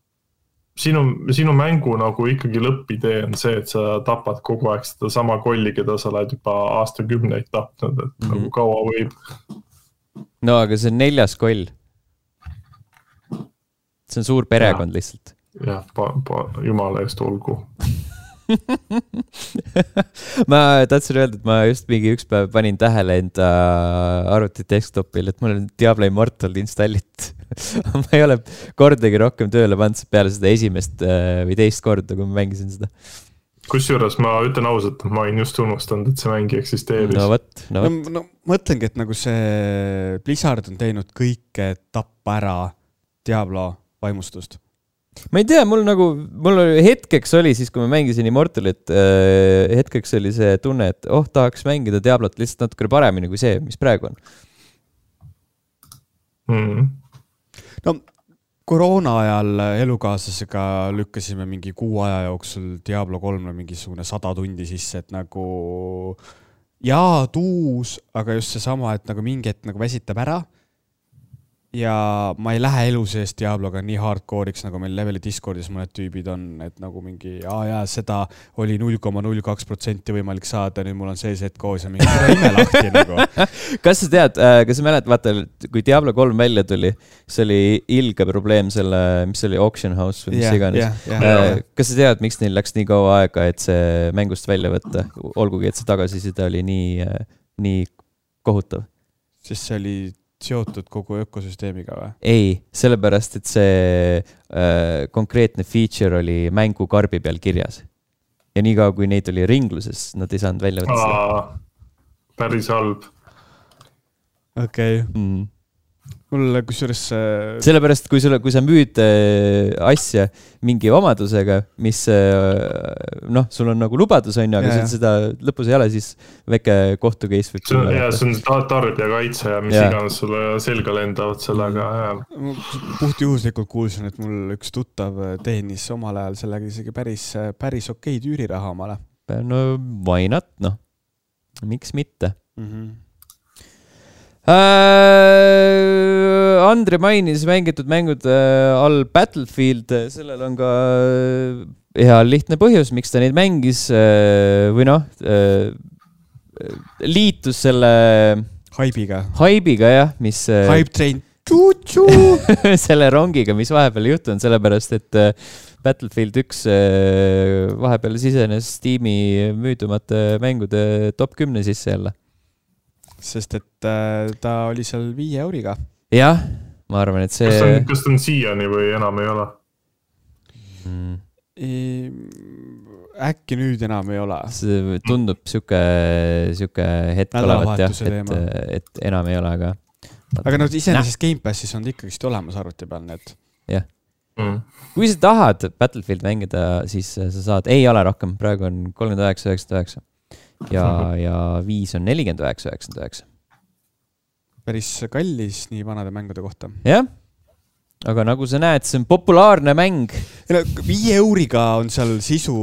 C: sinu, sinu mängu nagu ikkagi lõppidee on see, et sa tapad kogu aeg seda sama kolli, keda sa oled juba aastakümneid tapnud, et mm-hmm. nagu kaua võib.
A: No, aga see on neljas koll. See on suur perekond ja. Lihtsalt.
C: Jah, pa, pa, jumala eest olgu.
A: Ma tahtsin öelda, et ma just mingi üks päev panin tähele enda arvuti desktopil, et mul on Diablo Immortal installit. Ma ei ole kordagi rohkem tööle pannud peale seda esimest või teist korda, kui ma mängisin seda.
C: Kusjuures ma ütlen ausalt, et ma olen just unustanud, et see mängi eksisteeris.
A: No võt, no võt.
B: No, no, mõtlengi, et nagu see Blizzard on teinud kõike tappa ära Diablo vaimustust.
A: Ma ei tea, mul nagu, mul oli hetkeks oli siis, kui ma mängisin Immortalit, äh, hetkeks oli see tunne, et oh, tahaks mängida Diablot lihtsalt natuke paremini kui see, mis praegu on.
C: Mm.
B: No koroona ajal elukaaslasega lükkasime mingi kuu aja jooksul Diablo kolme mingisugune sada tundi sisse, et nagu jaa, tuus, aga just see sama, et nagu mingi hetk nagu väsitab ära. Ja ma ei lähe elu sees Diabloga nii hardcore'iks, nagu meil leveli Discordis mõned tüübid on, et nagu mingi, aa jaa, seda oli null koma null kaks protsenti võimalik saada, nüüd mul on see set koos ja mingi ime lahti nagu.
A: Kas sa tead, kas sa mälet, vaata, kui Diablo kolm välja tuli, see oli ilge probleem selle, mis oli Auction House või mis yeah, iganes. Yeah, yeah. Kas sa tead, miks neil läks nii kaua aega, et see mängust välja võtta, olgugi, et see tagasiside oli nii, nii kohutav?
B: Sest see oli seotud kogu ökosüsteemiga või?
A: Ei, sellepärast, et see äh, konkreetne feature oli mängu karbi peal kirjas. Ja nii kaua, kui neid oli ringluses, nad ei saanud välja võtta seda.
C: Päris halb.
B: Okei. Okay.
A: Mm.
B: Mul kusjuures...
A: Sellepärast, kui, sulle, kui sa müüd äh, asja mingi omadusega, mis äh, noh, sul on nagu lubadus on, aga ja, seda lõpus ei ole, siis väike kohtu case võib
C: tulla. Ja, see on tarbijakaitse ja mis ja. Iganes sulle selga lendavad sellega. Ja.
B: Puht juhuslikult kuulsin, et mul üks tuttav teenis omal ajal sellega isegi päris, päris okei tüüriraha omale.
A: No why not, noh. Miks mitte?
B: Mhm.
A: Uh, Andre mainis mängitud mängud uh, all Battlefield, sellel on ka hea lihtne põhjus, miks ta neid mängis uh, või noh, uh, liitus selle
B: haibiga,
A: haibiga jah, mis uh,
B: Hype train
A: selle rongiga, mis vahepeal juhtunud, sellepärast, et uh, Battlefield üks uh, vahepeal sisenes Steam'i müüdumate mängude top kümne sisse jälle.
B: Sest et äh, ta oli seal viie euriga.
A: Jah, ma arvan, et see...
C: Kas ta on, kas ta on siiani või enam ei ole?
A: Mm.
B: E, äkki nüüd enam ei ole.
A: See tundub siuke, siuke hetk olevat, jah, et, et enam ei ole, aga...
B: Aga no iseenesest Game Passis on ikkagist olemas arvuti peal need.
A: Jah.
C: Mm.
A: Kui sa tahad Battlefield mängida, siis sa saad... Ei ole rohkem, praegu on kolmkümmend üheksa üheksakümmend üheksa. Ja, ja viis on nelikümmend üheksa üheksakümmend üheksa.
B: Päris kallis nii vanade mängude kohta.
A: Jah, aga nagu sa näed, see on populaarne mäng.
B: Viie euriga on seal sisu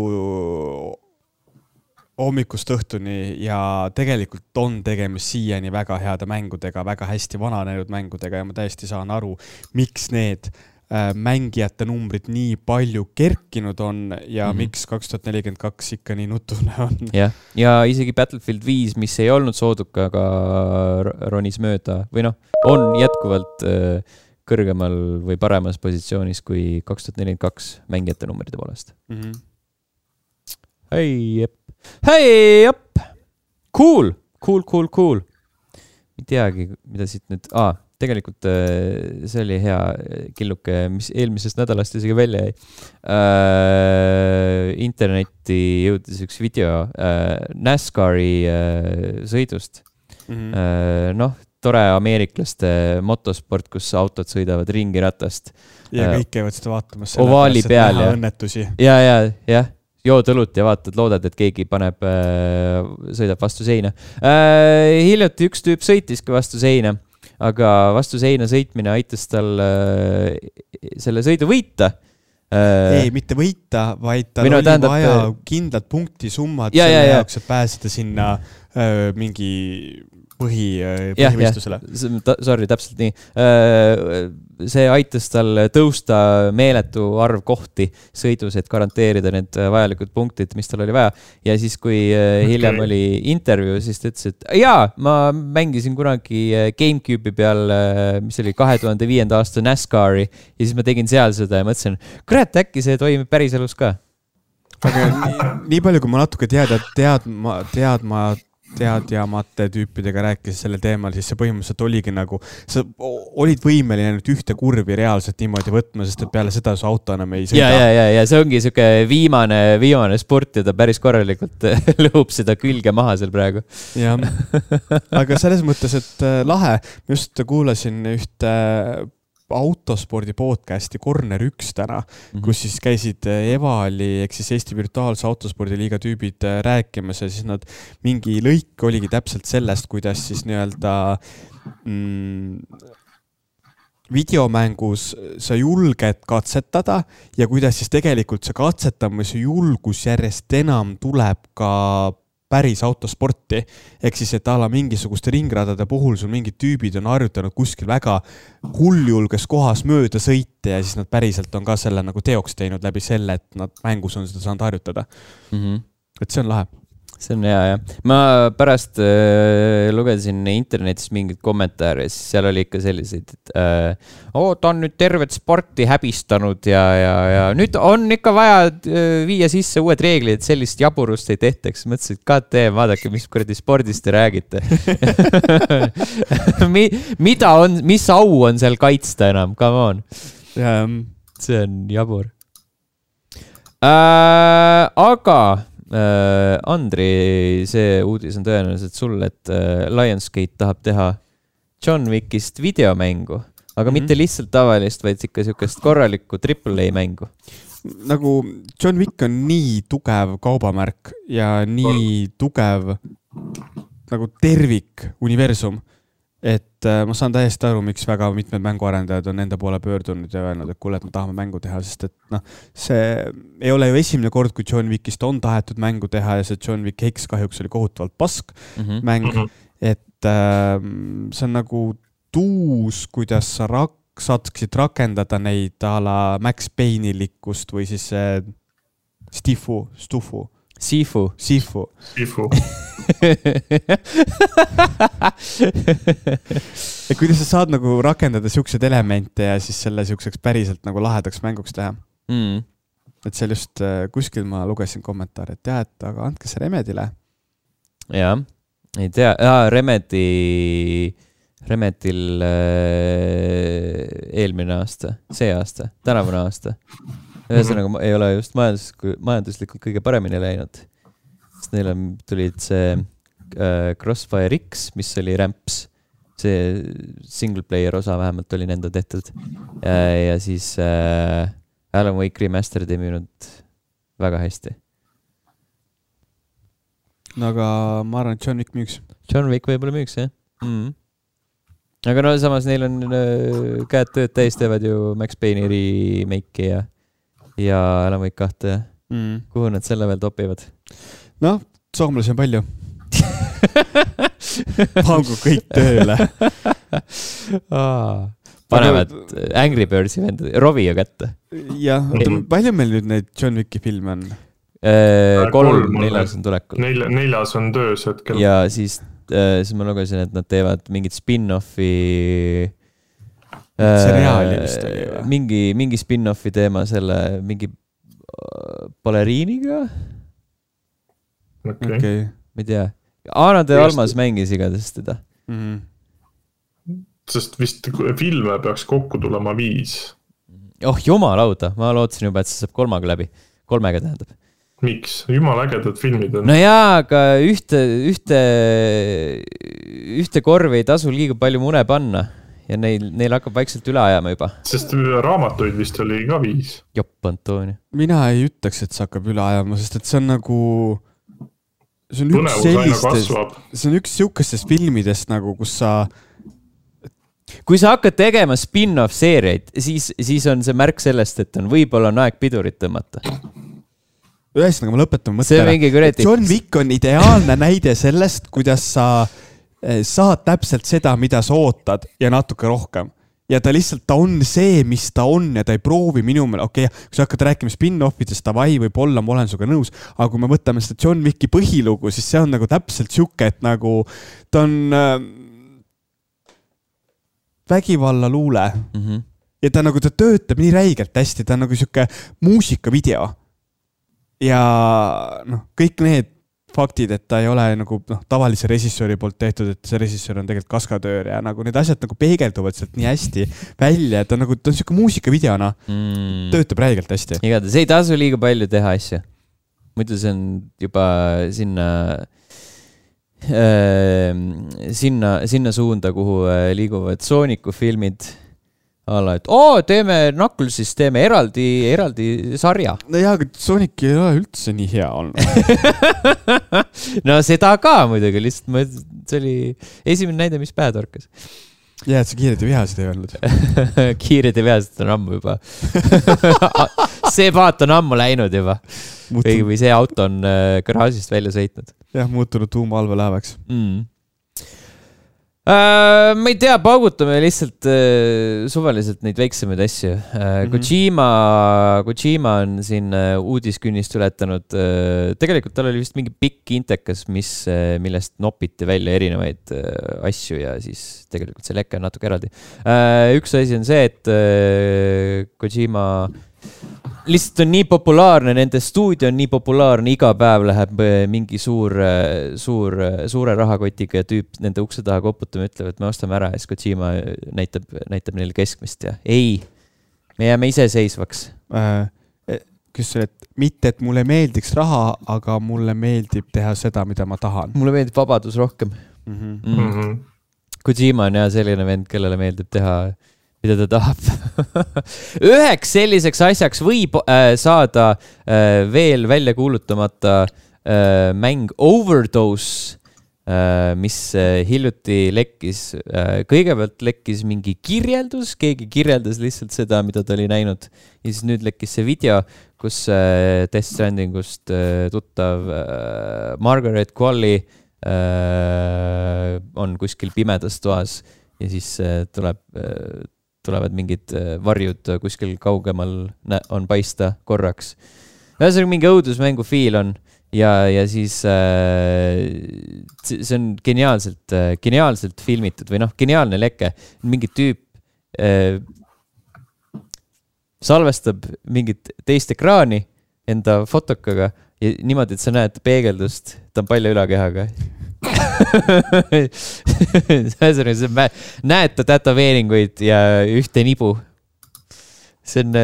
B: hommikust õhtuni ja tegelikult on tegemist siiani väga heade mängudega, väga hästi vananenud mängudega ja ma täiesti saan aru, miks need mängijate numbrid nii palju kerkinud on ja mm-hmm. miks kaks tuhat nelikümmend kaks ikka nii nutune on.
A: Ja, ja isegi Battlefield viis, mis ei olnud sooduka, aga ronis mööda või noh, on jätkuvalt kõrgemal või paremas positsioonis kui kaks tuhat nelikümmend kaks mängijate numbride poolest.
B: Mm-hmm.
A: Hei, jep. Hei, jep. Cool, cool, cool, cool. Ei teagi, mida siit nüüd... Aa, tegelikult see oli hea killuke, mis eelmisest nädalast isegi välja jäi. Äh, internetti jõudis üks video äh, NASCARi äh, sõidust. Mm-hmm. Äh, noh, tore ameeriklaste motosport, kus autod sõidavad ringi ratast.
B: Ja kõik käivad seda vaatamas.
A: Ovaali peal. Ja,
B: õnnetusi.
A: ja, ja, jah. Jood õlut ja vaatad, loodad, et keegi paneb, äh, sõidab vastu seina. Äh, hiljati üks tüüp sõitiski vastu seina. Aga vastu seina sõitmine aitas tal äh, selle sõidu võita.
B: Äh, ei, mitte võita, vaid tal no, oli tähendab, vaja kindlad punkti summad ja, selle ja, jaoks, et pääseda sinna äh, mingi põhi, põhivõistlusele.
A: Sorry, täpselt nii. Äh, see aitas tal tõusta meeletu arv kohti sõidus, et garanteerida need vajalikud punktid, mis tal oli vaja. Ja siis, kui hiljem okay. oli intervjuu, siis ta ütles, et jaa, ma mängisin kunagi GameCube'i peal, mis oli kahe tuhande viienda aasta NASCARi ja siis ma tegin seal seda ja mõtlesin, kurat, äkki see toimib päris elus ka.
B: Aga nii, nii palju, kui ma natuke teada, teadma, teadma teadjamate tüüpidega rääkis selle teemal, siis see põhimõtteliselt oligi nagu, sa olid võimeline nüüd ühte kurvi reaalselt niimoodi võtma, sest et peale seda su auto enam ei sõida.
A: Ja, ja, ja, ja see ongi siuke viimane, viimane sport ja ta päris korralikult lõhub seda külge maha seal praegu.
B: Jah, aga selles mõttes, et lahe, just kuulasin ühte autospordi podcasti Corner üks täna, mm-hmm. kus siis käisid Evali ehk siis Eesti virtuaalse autospordiliiga tüübid rääkimas ja siis nad mingi lõik oligi täpselt sellest, kuidas siis nii-öelda mm, videomängus sa julged katsetada ja kuidas siis tegelikult see katsetamise julgus järjest enam tuleb ka päris autosporti, ehk siis, et ala mingisuguste ringradade puhul sul mingid tüübid on harjutanud kuskil väga hulljulges kohas mööda sõite ja siis nad päriselt on ka selle nagu teoks teinud läbi selle, et nad mängus on seda saanud harjutada. Mm-hmm. Et see on lahe.
A: See on hea, jah. Ma pärast äh, lugesin internetis mingid kommentaare, siis seal oli ikka selliseid, et äh, oh, ta on nüüd tervet sporti häbistanud ja, ja, ja nüüd on ikka vaja äh, viia sisse uued reeglid, et sellist jaburust ei tehtaks. Mõtlesin, et God damn, vaadake, mis kuradi spordist te räägite. Mi, mida on, mis au on seal kaitsta enam? Come on.
B: Ja,
A: see on jabur. Äh, aga... Uh, Andri, see uudis on tõenäoliselt sul, et uh, Lionsgate tahab teha John Wickist videomängu, aga mm-hmm. mitte lihtsalt tavalist, vaid ikka siukest korralikku triple A mängu.
B: Nagu John Wick on nii tugev kaubamärk ja nii tugev nagu tervik universum, et uh, ma saan täiesti aru, miks väga mitmed mänguarendajad on enda poole pöördunud ja öelnud, et kuule, et me tahame mängu teha, sest et noh, see ei ole ju esimene kord, kui John Wickist on tahetud mängu teha ja see John Wick X kahjuks oli kohutavalt pask mm-hmm. mäng, et uh, see on nagu tuus, kuidas sa rak- saaksid rakendada neid a la Max Payne-likkust või siis uh, Stifu, Stufu.
A: Sifu.
B: Sifu.
C: Sifu.
B: ja kuidas sa saad nagu rakendada siukseid elemente ja siis selle siukseks päriselt nagu lahedaks mänguks teha.
A: Mm.
B: Et seal just kuskil ma lugesin kommentaari, et jah, et aga andke see Remedile.
A: Jah, ei tea. Jaa, Remedi, Remedil äh, eelmine aasta, see aasta, tänavune aasta. Ühesõnaga ei ole just majandus, majanduslikult kõige paremini läinud. Sest neil on, tulid see äh, Crossfire X, mis oli Ramps. See single player osa vähemalt oli nende tehtud. Ja, ja siis äh, Alan Wake Remastered ei müünud väga hästi.
B: No aga ma arvan, et John Wick müüks.
A: John Wick võib-olla müüks, jah. Mm. Aga no samas neil on äh, käed tööd täis, teevad ju Max Payne'i remake'i ja ja Alan Wake kahte. Mm. Kuhu nad selle veel topivad?
B: Noh, soomlasi on palju. Pangu kõik tööle.
A: Panevad Angry Birdsi vend Rovio kätte.
B: Jah, palju meil nüüd neid John Wicki filme on?
A: Äh, kolm, kolm, neljas on tulekul.
C: Nel, neljas on töös hetkel.
A: Ja siis, äh, siis ma lugesin, et nad teevad mingit spin-offi
B: seriaali vist oli või?
A: Mingi, mingi spin-offi teema selle mingi baleriiniga?
C: Okay.
B: Okay.
A: Ma ei tea. Aana de Almas mängis igades teda.
C: Mm-hmm. Sest vist filme peaks kokku tulema viis.
A: Oh, jumalauda. Ma lootsin juba, et see saab kolmaga läbi. Kolmega tähendab.
C: Miks? Jumal ägedad filmid on.
A: No jaa, aga ühte, ühte, ühte korvi ei tasu liiga palju mune panna. Ja neil, neil hakkab vaikselt üle ajama juba.
C: Sest raamatuid vist oli ka viis.
A: Jopp, Antonia.
B: Mina ei ütleks, et see hakkab üle ajama, sest et see on nagu... See on üks sellistest, see on üks siukestest filmidest nagu, kus sa...
A: Kui sa hakkad tegema spin-off seeriaid, siis, siis on see märk sellest, et on võib-olla on aeg pidurit tõmmata.
B: Ühesõnaga, ma lõpetan mõttele. John Wick on ideaalne näide sellest, kuidas sa... saad täpselt seda, mida sa ootad ja natuke rohkem. Ja ta lihtsalt, ta on see, mis ta on ja ta ei proovi minu meelest, okei, okay, kui sa hakkad rääkima spin-offidest, ta vai võib olla, ma olen suga nõus, aga kui me võtame seda John Wicki põhilugu, siis see on nagu täpselt siuke, et nagu ta on äh, vägivalla luule mm-hmm. ja ta nagu, ta töötab nii räigelt hästi, ta on nagu siuke muusikavideo ja noh, kõik need faktid, et ta ei ole nagu noh, tavalise režissööri poolt tehtud, et see režissöör on tegelikult kaskatöör ja nagu need asjad nagu peegelduvad sealt nii hästi välja, et ta on nagu, ta on siuke muusikavideona mm. töötab räigelt hästi.
A: Igatahes ei tasu liiga palju teha asja. Muidu see on juba sinna äh, sinna, sinna suunda, kuhu liiguvad Sooniku filmid, Alla, et oo, teeme Knucklesis, teeme eraldi, eraldi sarja.
B: No jaa, aga Sonic ei ole üldse nii hea olnud.
A: No seda ka muidugi, lihtsalt ma, see oli esimene näide, mis pähe torkas.
B: Jaa, et sa kiired ja vihased ei olnud.
A: Kiired ja vihased on ammu juba. See paat on ammu läinud juba. Või, või see auto on garaažist välja sõitnud.
B: Jah, muutunud tuumaallveläevaks.
A: Mm. Uh, ma ei tea, paugutame lihtsalt uh, suvaliselt neid väiksemaid asju. Uh, mm-hmm. Kojima, Kojima on siin uh, uudiskünnist ületanud. Uh, tegelikult tal oli vist mingi pikk intekas, mis, uh, millest nopiti välja erinevaid uh, asju ja siis tegelikult see leke on natuke eraldi. Uh, üks asi on see, et uh, Kojima lihtsalt on nii populaarne, nende stuudio on nii populaarne, iga päev läheb mingi suur, suur, suure rahakotiga ja tüüp nende ukse taha koputama ütleb, et me ostame ära ja siis Kojima näitab, näitab neile keskmist ja ei, me jääme iseseisvaks.
B: Äh, kus see, et mitte, et mulle meeldiks raha, aga mulle meeldib teha seda, mida ma tahan.
A: Mulle meeldib vabadus rohkem.
B: Mm-hmm.
A: Mm. Mm-hmm. Kojima on jah selline vend, kellele meeldib teha mida ta tahab. Üheks selliseks asjaks võib äh, saada äh, veel välja kuulutamata äh, mäng Overdose, äh, mis äh, hiljuti lekkis. Äh, kõigepealt lekkis mingi kirjeldus, keegi kirjeldas lihtsalt seda, mida ta oli näinud. Ja siis nüüd lekkis see video, kus äh, Death Strandingust äh, tuttav äh, Margaret Qualley äh, on kuskil pimedas toas ja siis äh, tuleb... Äh, tulevad mingid varjud kuskil kaugemal on paista korraks. Ühesõnaga mingi õudusmängu fiil on ja, ja siis äh, see on geniaalselt, geniaalselt filmitud või noh, geniaalne leke. Mingi tüüp äh, salvestab mingit teist ekraani enda fotokaga ja niimoodi, et sa näed peegeldust, ta on palju ülakehaga. Näed ta tätoveeringuid ja ühte nibu. See on,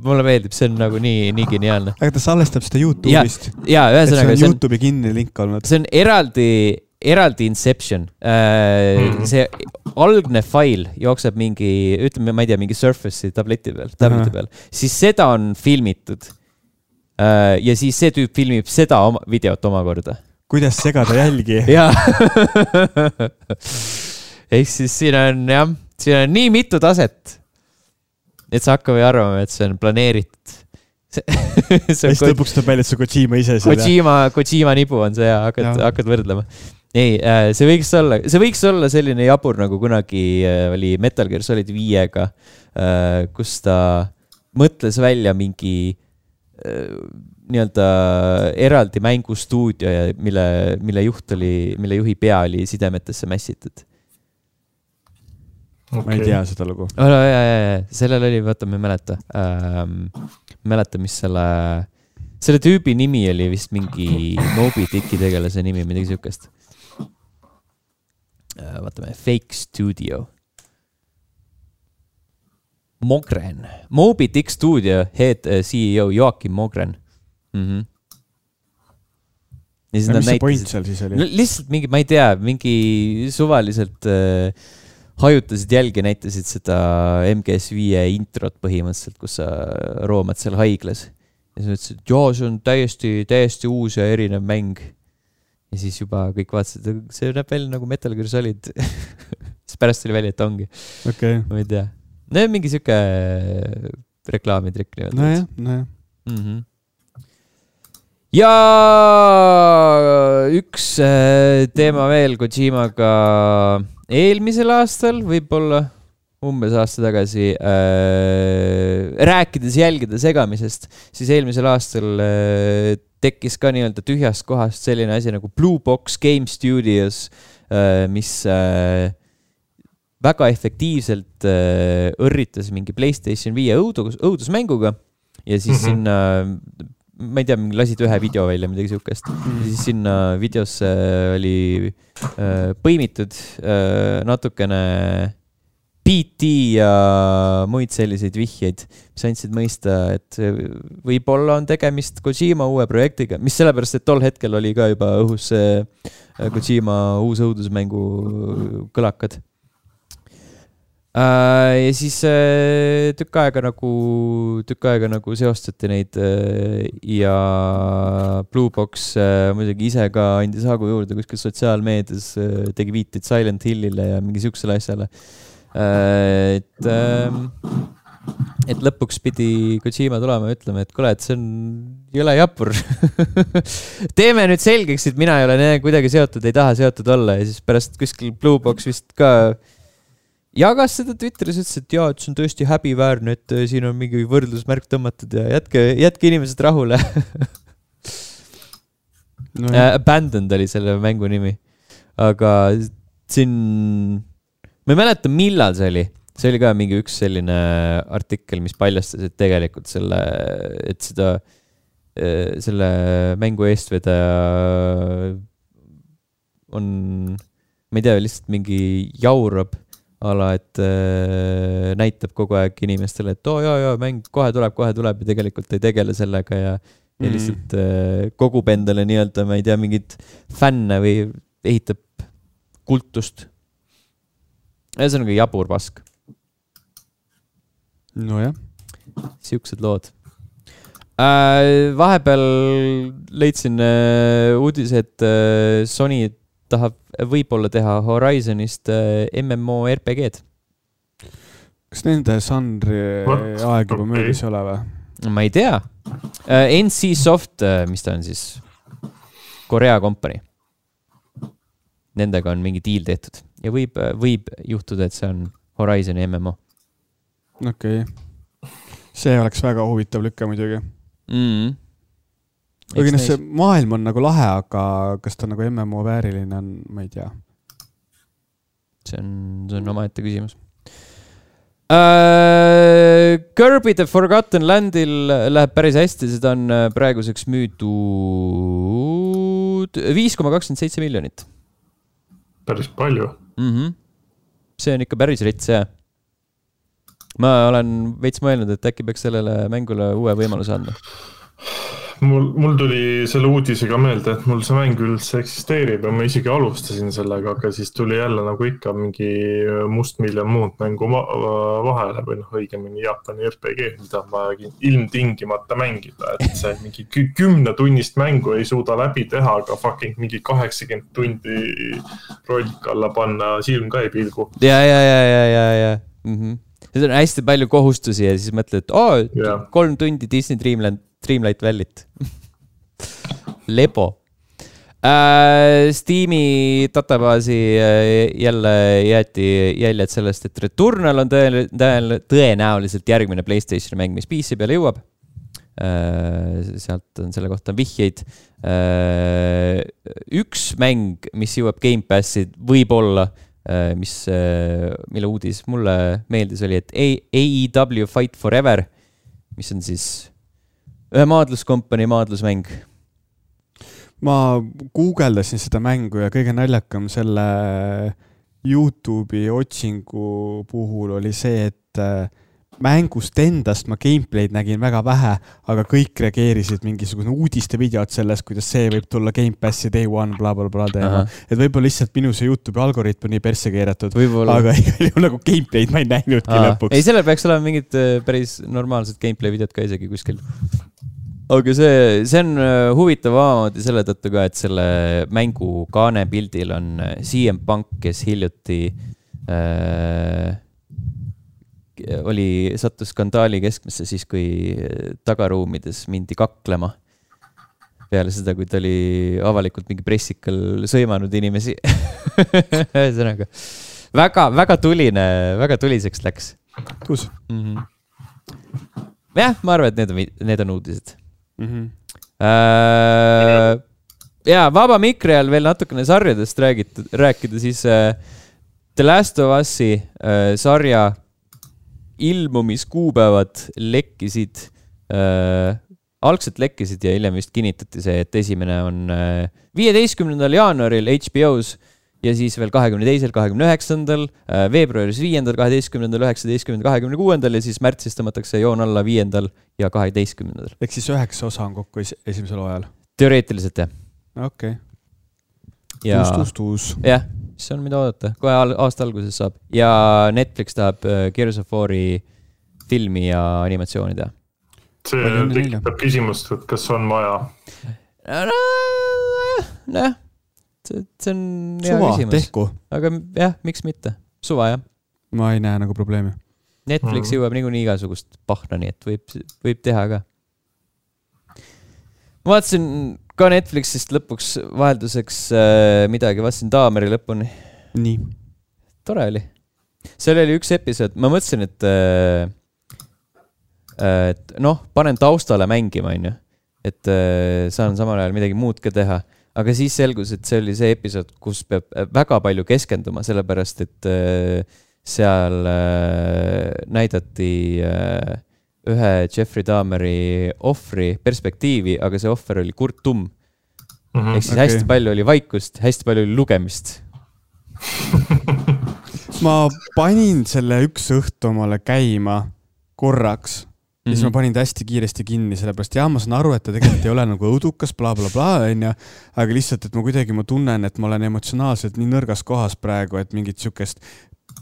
A: mulle meeldib, see on nagu nii, nii geniaalne.
B: Aga ta salvestab seda YouTube'ist.
A: Ja, ja ühesõnaga.
B: See on YouTube'i kinni link olnud.
A: See on eraldi, eraldi Inception. Mm-hmm. See algne fail jookseb mingi, ütleme, ma ei tea, mingi Surface'i tableti peal, tableti uh-huh. peal. Siis seda on filmitud. Ja siis see tüüp filmib seda oma, videot omakorda.
B: Kuidas segada jälgi?
A: Jaa. Ehk siis siin on, jah, siin on nii mitu taset, et sa hakkab või arvama, et see on planeeritud.
B: Ja siis lõpuks tuleb välja, et see Kojima ise.
A: Kojima, Kojima nibu on see ja hakkad, ja. hakkad võrdlema. Ei, see võiks olla, see võiks olla selline jabur, nagu kunagi oli Metal Gear Solid viiega, kus ta mõtles välja mingi nii-öelda eraldi mängustuudio, mille, mille juht oli, mille juhi pea oli sidemetesse mässitud.
B: Okay. Ma ei tea seda lugu.
A: Oh, no, ja, ja, ja. Sellel oli, vaata, ma ei mäleta. Ähm, mäleta, mis selle, selle tüübi nimi oli vist mingi Moby Dicki tegelase nimi, midagi sihukest. Äh, vaatame, Fake Studio. Mogren. Moby Dick Studio head C E O Joakim Mogren. Mm-hmm.
B: Ja ja mis see point seal siis oli?
A: Lihtsalt mingi, ma ei tea, mingi suvaliselt äh, hajutasid jälgi, näitasid seda M G S viie introt põhimõtteliselt, kus sa roomad seal haiglas. Ja sa ütlesid, et joo, see on täiesti, täiesti uus ja erinev mäng. Ja siis juba kõik vaatasid, see näeb välja nagu Metal Gear Solid. Siis pärast oli välja, et ongi.
B: Okay.
A: Ma ei tea. No mingi siuke reklaamitrikk.
B: No jah, no jah.
A: Mhm. Ja üks teema veel Kojimaga eelmisel aastal, võib-olla umbes aasta tagasi, äh, rääkides jälgida segamisest, siis eelmisel aastal äh, tekkis ka nii-öelda tühjast kohast selline asi nagu Blue Box Game Studios, äh, mis äh, väga efektiivselt äh, õrritas mingi PlayStation viie õudus, õudusmänguga ja siis mm-hmm. sinna ma ei tea, lasid ühe video välja, midagi sihukest. Mm. Siis sinna videosse oli äh, põimitud äh, natukene P T ja muid selliseid vihjeid, mis andsid mõista, et võib-olla on tegemist Kojima uue projektiga, mis sellepärast, et tol hetkel oli ka juba õhus äh, Kojima uus õudusmängu kõlakad. Uh, ja siis uh, tükk aega nagu, tükk aega nagu seostati neid uh, ja Blue Box uh, muidugi ise ka andis hagu juurde kuskil sotsiaalmeedias, uh, tegi viiteid Silent Hillile ja mingi siuksele asjale. Uh, et, uh, et lõpuks pidi Kojima tulema ja ütlema, et kuule, et see on jõle japur. Teeme nüüd selgeks, et mina ei ole kuidagi seotud, ei taha seotud olla ja siis pärast kuskil Blue Box vist ka jagas seda Twitteris, ütles, et jaa, et see on tõesti häbiväärne, et siin on mingi võrdlusmärk tõmmatud ja jätke, jätke inimesed rahule. no, uh, Abandoned oli selle mängu nimi. Aga siin, ma ei mäleta, millal see oli. See oli ka mingi üks selline artikkel, mis paljastas, et tegelikult selle, et seda, selle mängu eestvedaja on, ma ei tea, lihtsalt mingi jaurab ala, et äh, näitab kogu aeg inimestele, et oo oh, jaa, jaa, mäng kohe tuleb, kohe tuleb ja tegelikult ei tegele sellega ja, ja mm. lihtsalt äh, kogub endale nii-öelda, ma ei tea, mingid fänne või ehitab kultust. Ja see on nagu jabur pask.
B: No jah.
A: Siuksed lood. Äh, vahepeal leidsin äh, uudise, et äh, Sony tahab võib-olla teha Horizonist M M O R P G-d.
B: Kas nende žanri aeg juba möödas ei ole või?
A: Ma ei tea. N C Soft, mis ta on siis? Korea company. Nendega on mingi deal tehtud. Ja võib, võib juhtuda, et see on Horizoni M M O.
B: Okei. Okay. See oleks väga huvitav lükka muidugi.
A: Mhm.
B: Aga see maailm on nagu lahe, aga kas ta nagu M M O vääriline on, ma ei tea.
A: See on, see on oma ette küsimus. Uh, Kirby The Forgotten Landil läheb päris hästi, seda on praeguseks müüdud viis koma kakskümmend seitse miljonit.
C: Päris palju.
A: Mm-hmm. See on ikka päris rits, jah. Ma olen veits mõelnud, et äkki peaks sellele mängule uue võimaluse anda.
C: Mul, mul tuli selle uudisega meelde, et mul see mäng üldse eksisteerib ja ma isegi alustasin sellega, aga siis tuli jälle nagu ikka mingi must miljon muud mängu vahele või noh, õigemini Jaapani R P G, mida ma ilmtingimata mängida, et see mingi kümne tunnist mängu ei suuda läbi teha, aga fucking mingi kaheksakümmend tundi rollik alla panna, silm ka ei pilgu.
A: Ja, ja, ja, ja, ja, ja. Mm-hmm. See on hästi palju kohustusi ja siis mõtled, et oo, yeah. kolm tundi Disney Dreamland Dreamlight Valley't. Lebo. Äh, Steam'i databaasi jälle jäeti jäljed sellest, et Returnal on tõe, tõe, tõenäoliselt järgmine PlayStation mäng, mis P C peale jõuab. Äh, sealt on selle kohta vihjeid. Äh, üks mäng, mis jõuab Game Passi võib-olla, äh, mis, äh, mille uudis mulle meeldis oli, et A E W Fight Forever, mis on siis ühe maadluskompani maadlusmäng.
B: Ma guugeldasin seda mängu ja kõige naljakam selle YouTube'i otsingu puhul oli see, et mängust endast ma gameplay'd nägin väga vähe, aga kõik reageerisid mingisugune uudiste videod sellest, kuidas see võib tulla Game Passi day one, bla bla bla teema. Et võib-olla lihtsalt minu see YouTube'i algoritm on nii persse keeratud, võibolla. Aga igal juhul nagu gameplay'd ma ei näinudki Aa. lõpuks.
A: Ei, sellel peaks olema mingid päris normaalsed gameplay videod ka isegi kuskil. Aga see, see on huvitav omamoodi selle tõttu ka, et selle mängu kaanepildil on C M Punk, kes hiljuti äh, oli, sattus skandaali keskmesse siis, kui tagaruumides mindi kaklema. Peale seda, kui ta oli avalikult mingi pressikal sõimanud inimesi. Sõnaga. Väga, väga tuline, väga tuliseks läks.
B: Kus?
A: Mm-hmm. Jah, ma arvan, et need on, need on uudised.
B: Mm-hmm.
A: Äh, ja, vaba mikri all veel natukene sarjadest räägida, rääkida, siis äh, The Last of Us'i äh, sarja ilmumiskuupäevad lekkisid, äh, algselt lekkisid ja hiljem vist kinnitati see, et esimene on äh, viieteistkümnendal jaanuaril H B O's ja siis veel kahekümne teisel, kahekümne üheksandal, äh, veebruaris viiendal, kaheteistkümnendal, üheksateistkümnendal, kahekümne kuuendal ja siis märtsis tõmmatakse joon alla viiendal ja kaheteistkümnendal.
B: Ehk siis üheksa osa on kokku esimesel ajal?
A: Teoreetiliselt, jah.
B: Okei.
A: Okay.
B: Tuus, tuus, tuus.
A: Jah, mis on mida oodata, kohe aasta alguses saab ja Netflix tahab Gears of War'i filmi ja animatsiooni teha.
C: See tekitab küsimust, et kas on vaja?
A: Näh, see, see on hea
B: suva,
A: küsimus.
B: Tehku.
A: Aga jah, miks mitte? Suva, jah.
B: Ma ei näe nagu probleemi.
A: Netflix mm. jõuab niikuinii igasugust pahna, nii et võib, võib teha ka. Ma vaatasin ka Netflixist lõpuks vahelduseks äh, midagi, vaatasin Daameri lõpuni.
B: Nii.
A: Tore oli. Seal oli üks episood, ma mõtlesin, et, äh, et noh, panen taustale mängima, on ju. Et äh, saan samal ajal midagi muud ka teha. Aga siis selgus, et see oli see episood, kus peab väga palju keskenduma, sellepärast, et äh, seal äh, näidati äh, ühe Jeffrey Dahmeri ohvri perspektiivi, aga see ohver oli Kurt Tumm. Mm-hmm, ehk siis okay. Hästi palju oli vaikust, hästi palju oli lugemist.
B: Ma panin selle üks õhtu omale käima korraks ja mm-hmm. siis ma panin ta hästi kiiresti kinni, sellepärast jah, ma saan aru, et ta tegelikult ei ole nagu õudukas, bla bla bla, onja, aga lihtsalt, et ma kuidagi ma tunnen, et ma olen emotsionaalselt nii nõrgas kohas praegu, et mingit sükest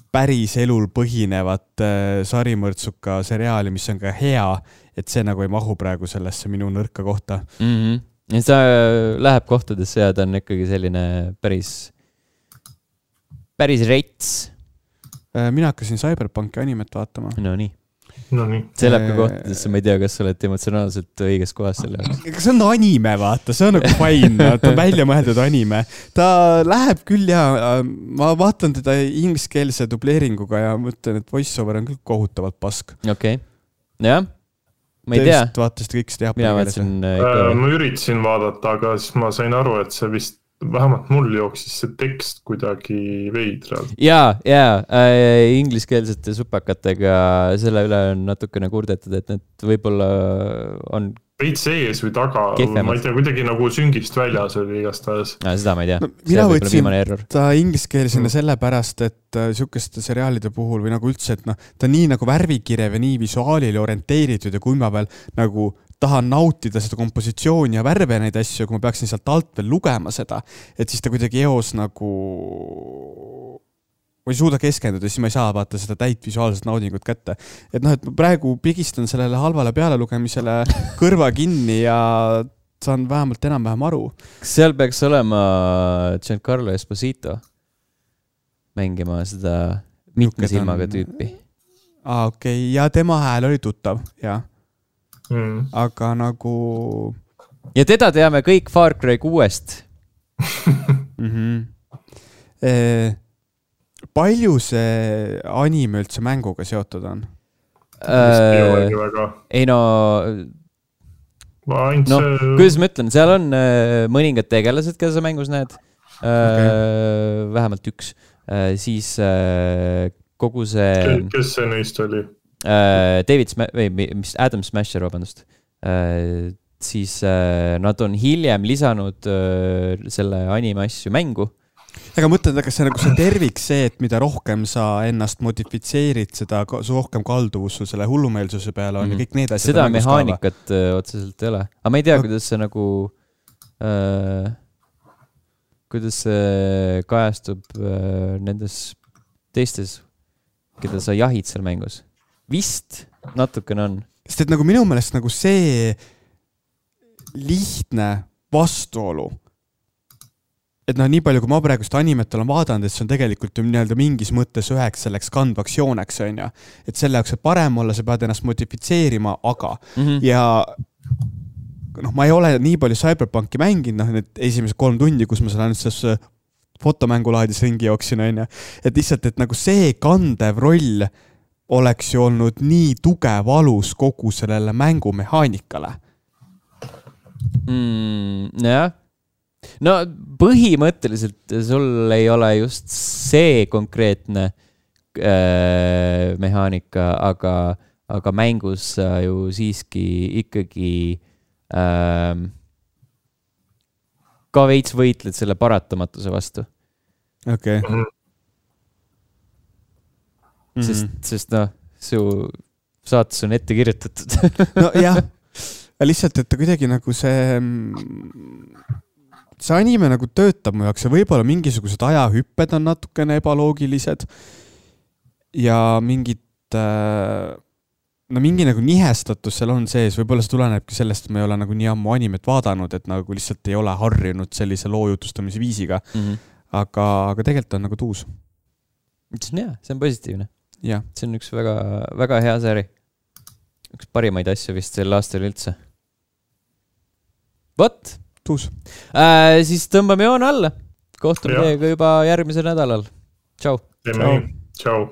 B: päris elul põhinevat äh, sarimõrtsuka seriaali, mis on ka hea, et see nagu ei mahu praegu sellesse minu nõrka kohta.
A: Mm-hmm. Ja see läheb kohtadesse ja ta on ikkagi selline päris, päris reits.
B: Äh, mina hakkasin Cyberpunki animet vaatama.
A: No nii.
C: No nii.
A: See läheb ka kohtadesse, ma ei tea, kas sa oled emotsionaalselt õiges kohas selle jaoks.
B: See on anime, vaata, see on nagu fine, ta on välja mõeldud anime. Ta läheb küll ja ma vaatan teda ingliskeelse dubleeringuga ja mõtlen, et voiceover on küll kohutavalt pask.
A: Okei, okay. Jah, ma ei tea.
B: Te vaatasid kõik seda
A: Mina vaatasin
C: äh, ma üritasin vaadata, aga siis ma sain aru, et see vist vähemalt mul jooksis see tekst kuidagi veidralt.
A: Jaa, jaa, äh, ingliskeelsete supakatega selle üle on natukene kurdetud, et need võib-olla on
C: veits ees või taga, kehvemad. Ma ei tea, kuidagi nagu süngist väljas oli igastahes.
A: No, seda ma ei tea.
B: No, mina võtsin ta ingliskeelsena mm. sellepärast, et äh, sükeste seriaalide puhul või nagu üldse, et noh, ta on nii nagu värvikirev ja nii visuaalile orienteeritud ja kui ma veel nagu tahan nautida seda kompositsiooni ja värve ja neid asju, kui ma peaksin sealt alt veel lugema seda, et siis ta kuidagi eos nagu ma ei suuda keskenduda, siis ma ei saa vaata seda täit visuaalset naudingut kätte. Et noh, et ma praegu pigistan sellele halvale peale lugemisele kõrva kinni ja saan vähemalt enam-vähem aru.
A: Seal peaks olema Giancarlo Esposito mängima seda mitme silmaga tüüpi.
B: Aa, okei, okay. Ja tema hääl oli tuttav, jah. Mm. Aga nagu
A: ja teda teame kõik Far Cry kuuest.
B: mm-hmm. e, palju see anime üldse mänguga seotud on?
A: Äh, ei no no, kuidas ma ütlen, seal on äh, mõningad tegelased, keda sa mängus näed äh, okay. Vähemalt üks äh, siis äh, kogu see
C: kes see neist oli?
A: Uh, David Sma- või mis Adam Smasher, vabandust. Uh, siis uh, nad on hiljem lisanud uh, selle anime asju mängu.
B: Aga mõtled, kas see nagu see tervik see, et mida rohkem sa ennast modifitseerid, seda su rohkem kalduvus sul selle hullumeelsuse peale on mm-hmm. ja kõik need asjad.
A: Seda mehaanikat uh, otseselt ei ole. Aga ma ei tea, no. kuidas see nagu uh, kuidas see kajastub uh, nendes teistes, keda sa jahid seal mängus. Vist natukene on.
B: Sest et nagu minu meelest nagu see lihtne vastuolu, et noh, nii palju kui ma praegust animet olen vaadanud, et see on tegelikult ju nii-öelda mingis mõttes üheks selleks kandvaks jooneks, on ja. Et selle jaoks, et parem olla, sa pead ennast modifitseerima, aga mm-hmm. ja noh, ma ei ole nii palju Cyberpunki mänginud, noh, need esimesed kolm tundi, kus ma seal ainult selles fotomängulaadis ringi jooksin, on ja. Et lihtsalt, et nagu see kandev roll oleks ju olnud nii tugev alus kogu sellele mängumehaanikale.
A: Mm, jah. No põhimõtteliselt sul ei ole just see konkreetne äh, mehaanika, aga, aga mängus ju siiski ikkagi äh, ka veits võitled selle paratamatuse vastu.
B: Okei. Okay.
A: Sest, mm-hmm. sest noh, su saates on ette kirjutatud.
B: No jah, lihtsalt, et ta kuidagi nagu see see anime nagu töötab mu jaoks ja võib-olla mingisugused ajahüpped on natukene ebaloogilised ja mingid, no mingi nagu nihestatus seal on sees, võib-olla see tulenebki sellest, et ma ei ole nagu nii ammu animet vaadanud, et nagu lihtsalt ei ole harjunud sellise loo jutustamise viisiga, mm-hmm. aga, aga tegelikult on nagu tuus.
A: See on hea, see on positiivne.
B: Ja.
A: See on üks väga, väga hea sari. Üks parimaid asju vist sel aastal üldse. Vot!
B: Tuus.
A: Äh, siis tõmbame joon alla. Kohtume teiega juba järgmisel nädalal. Tšau.
C: Tšau. Tšau.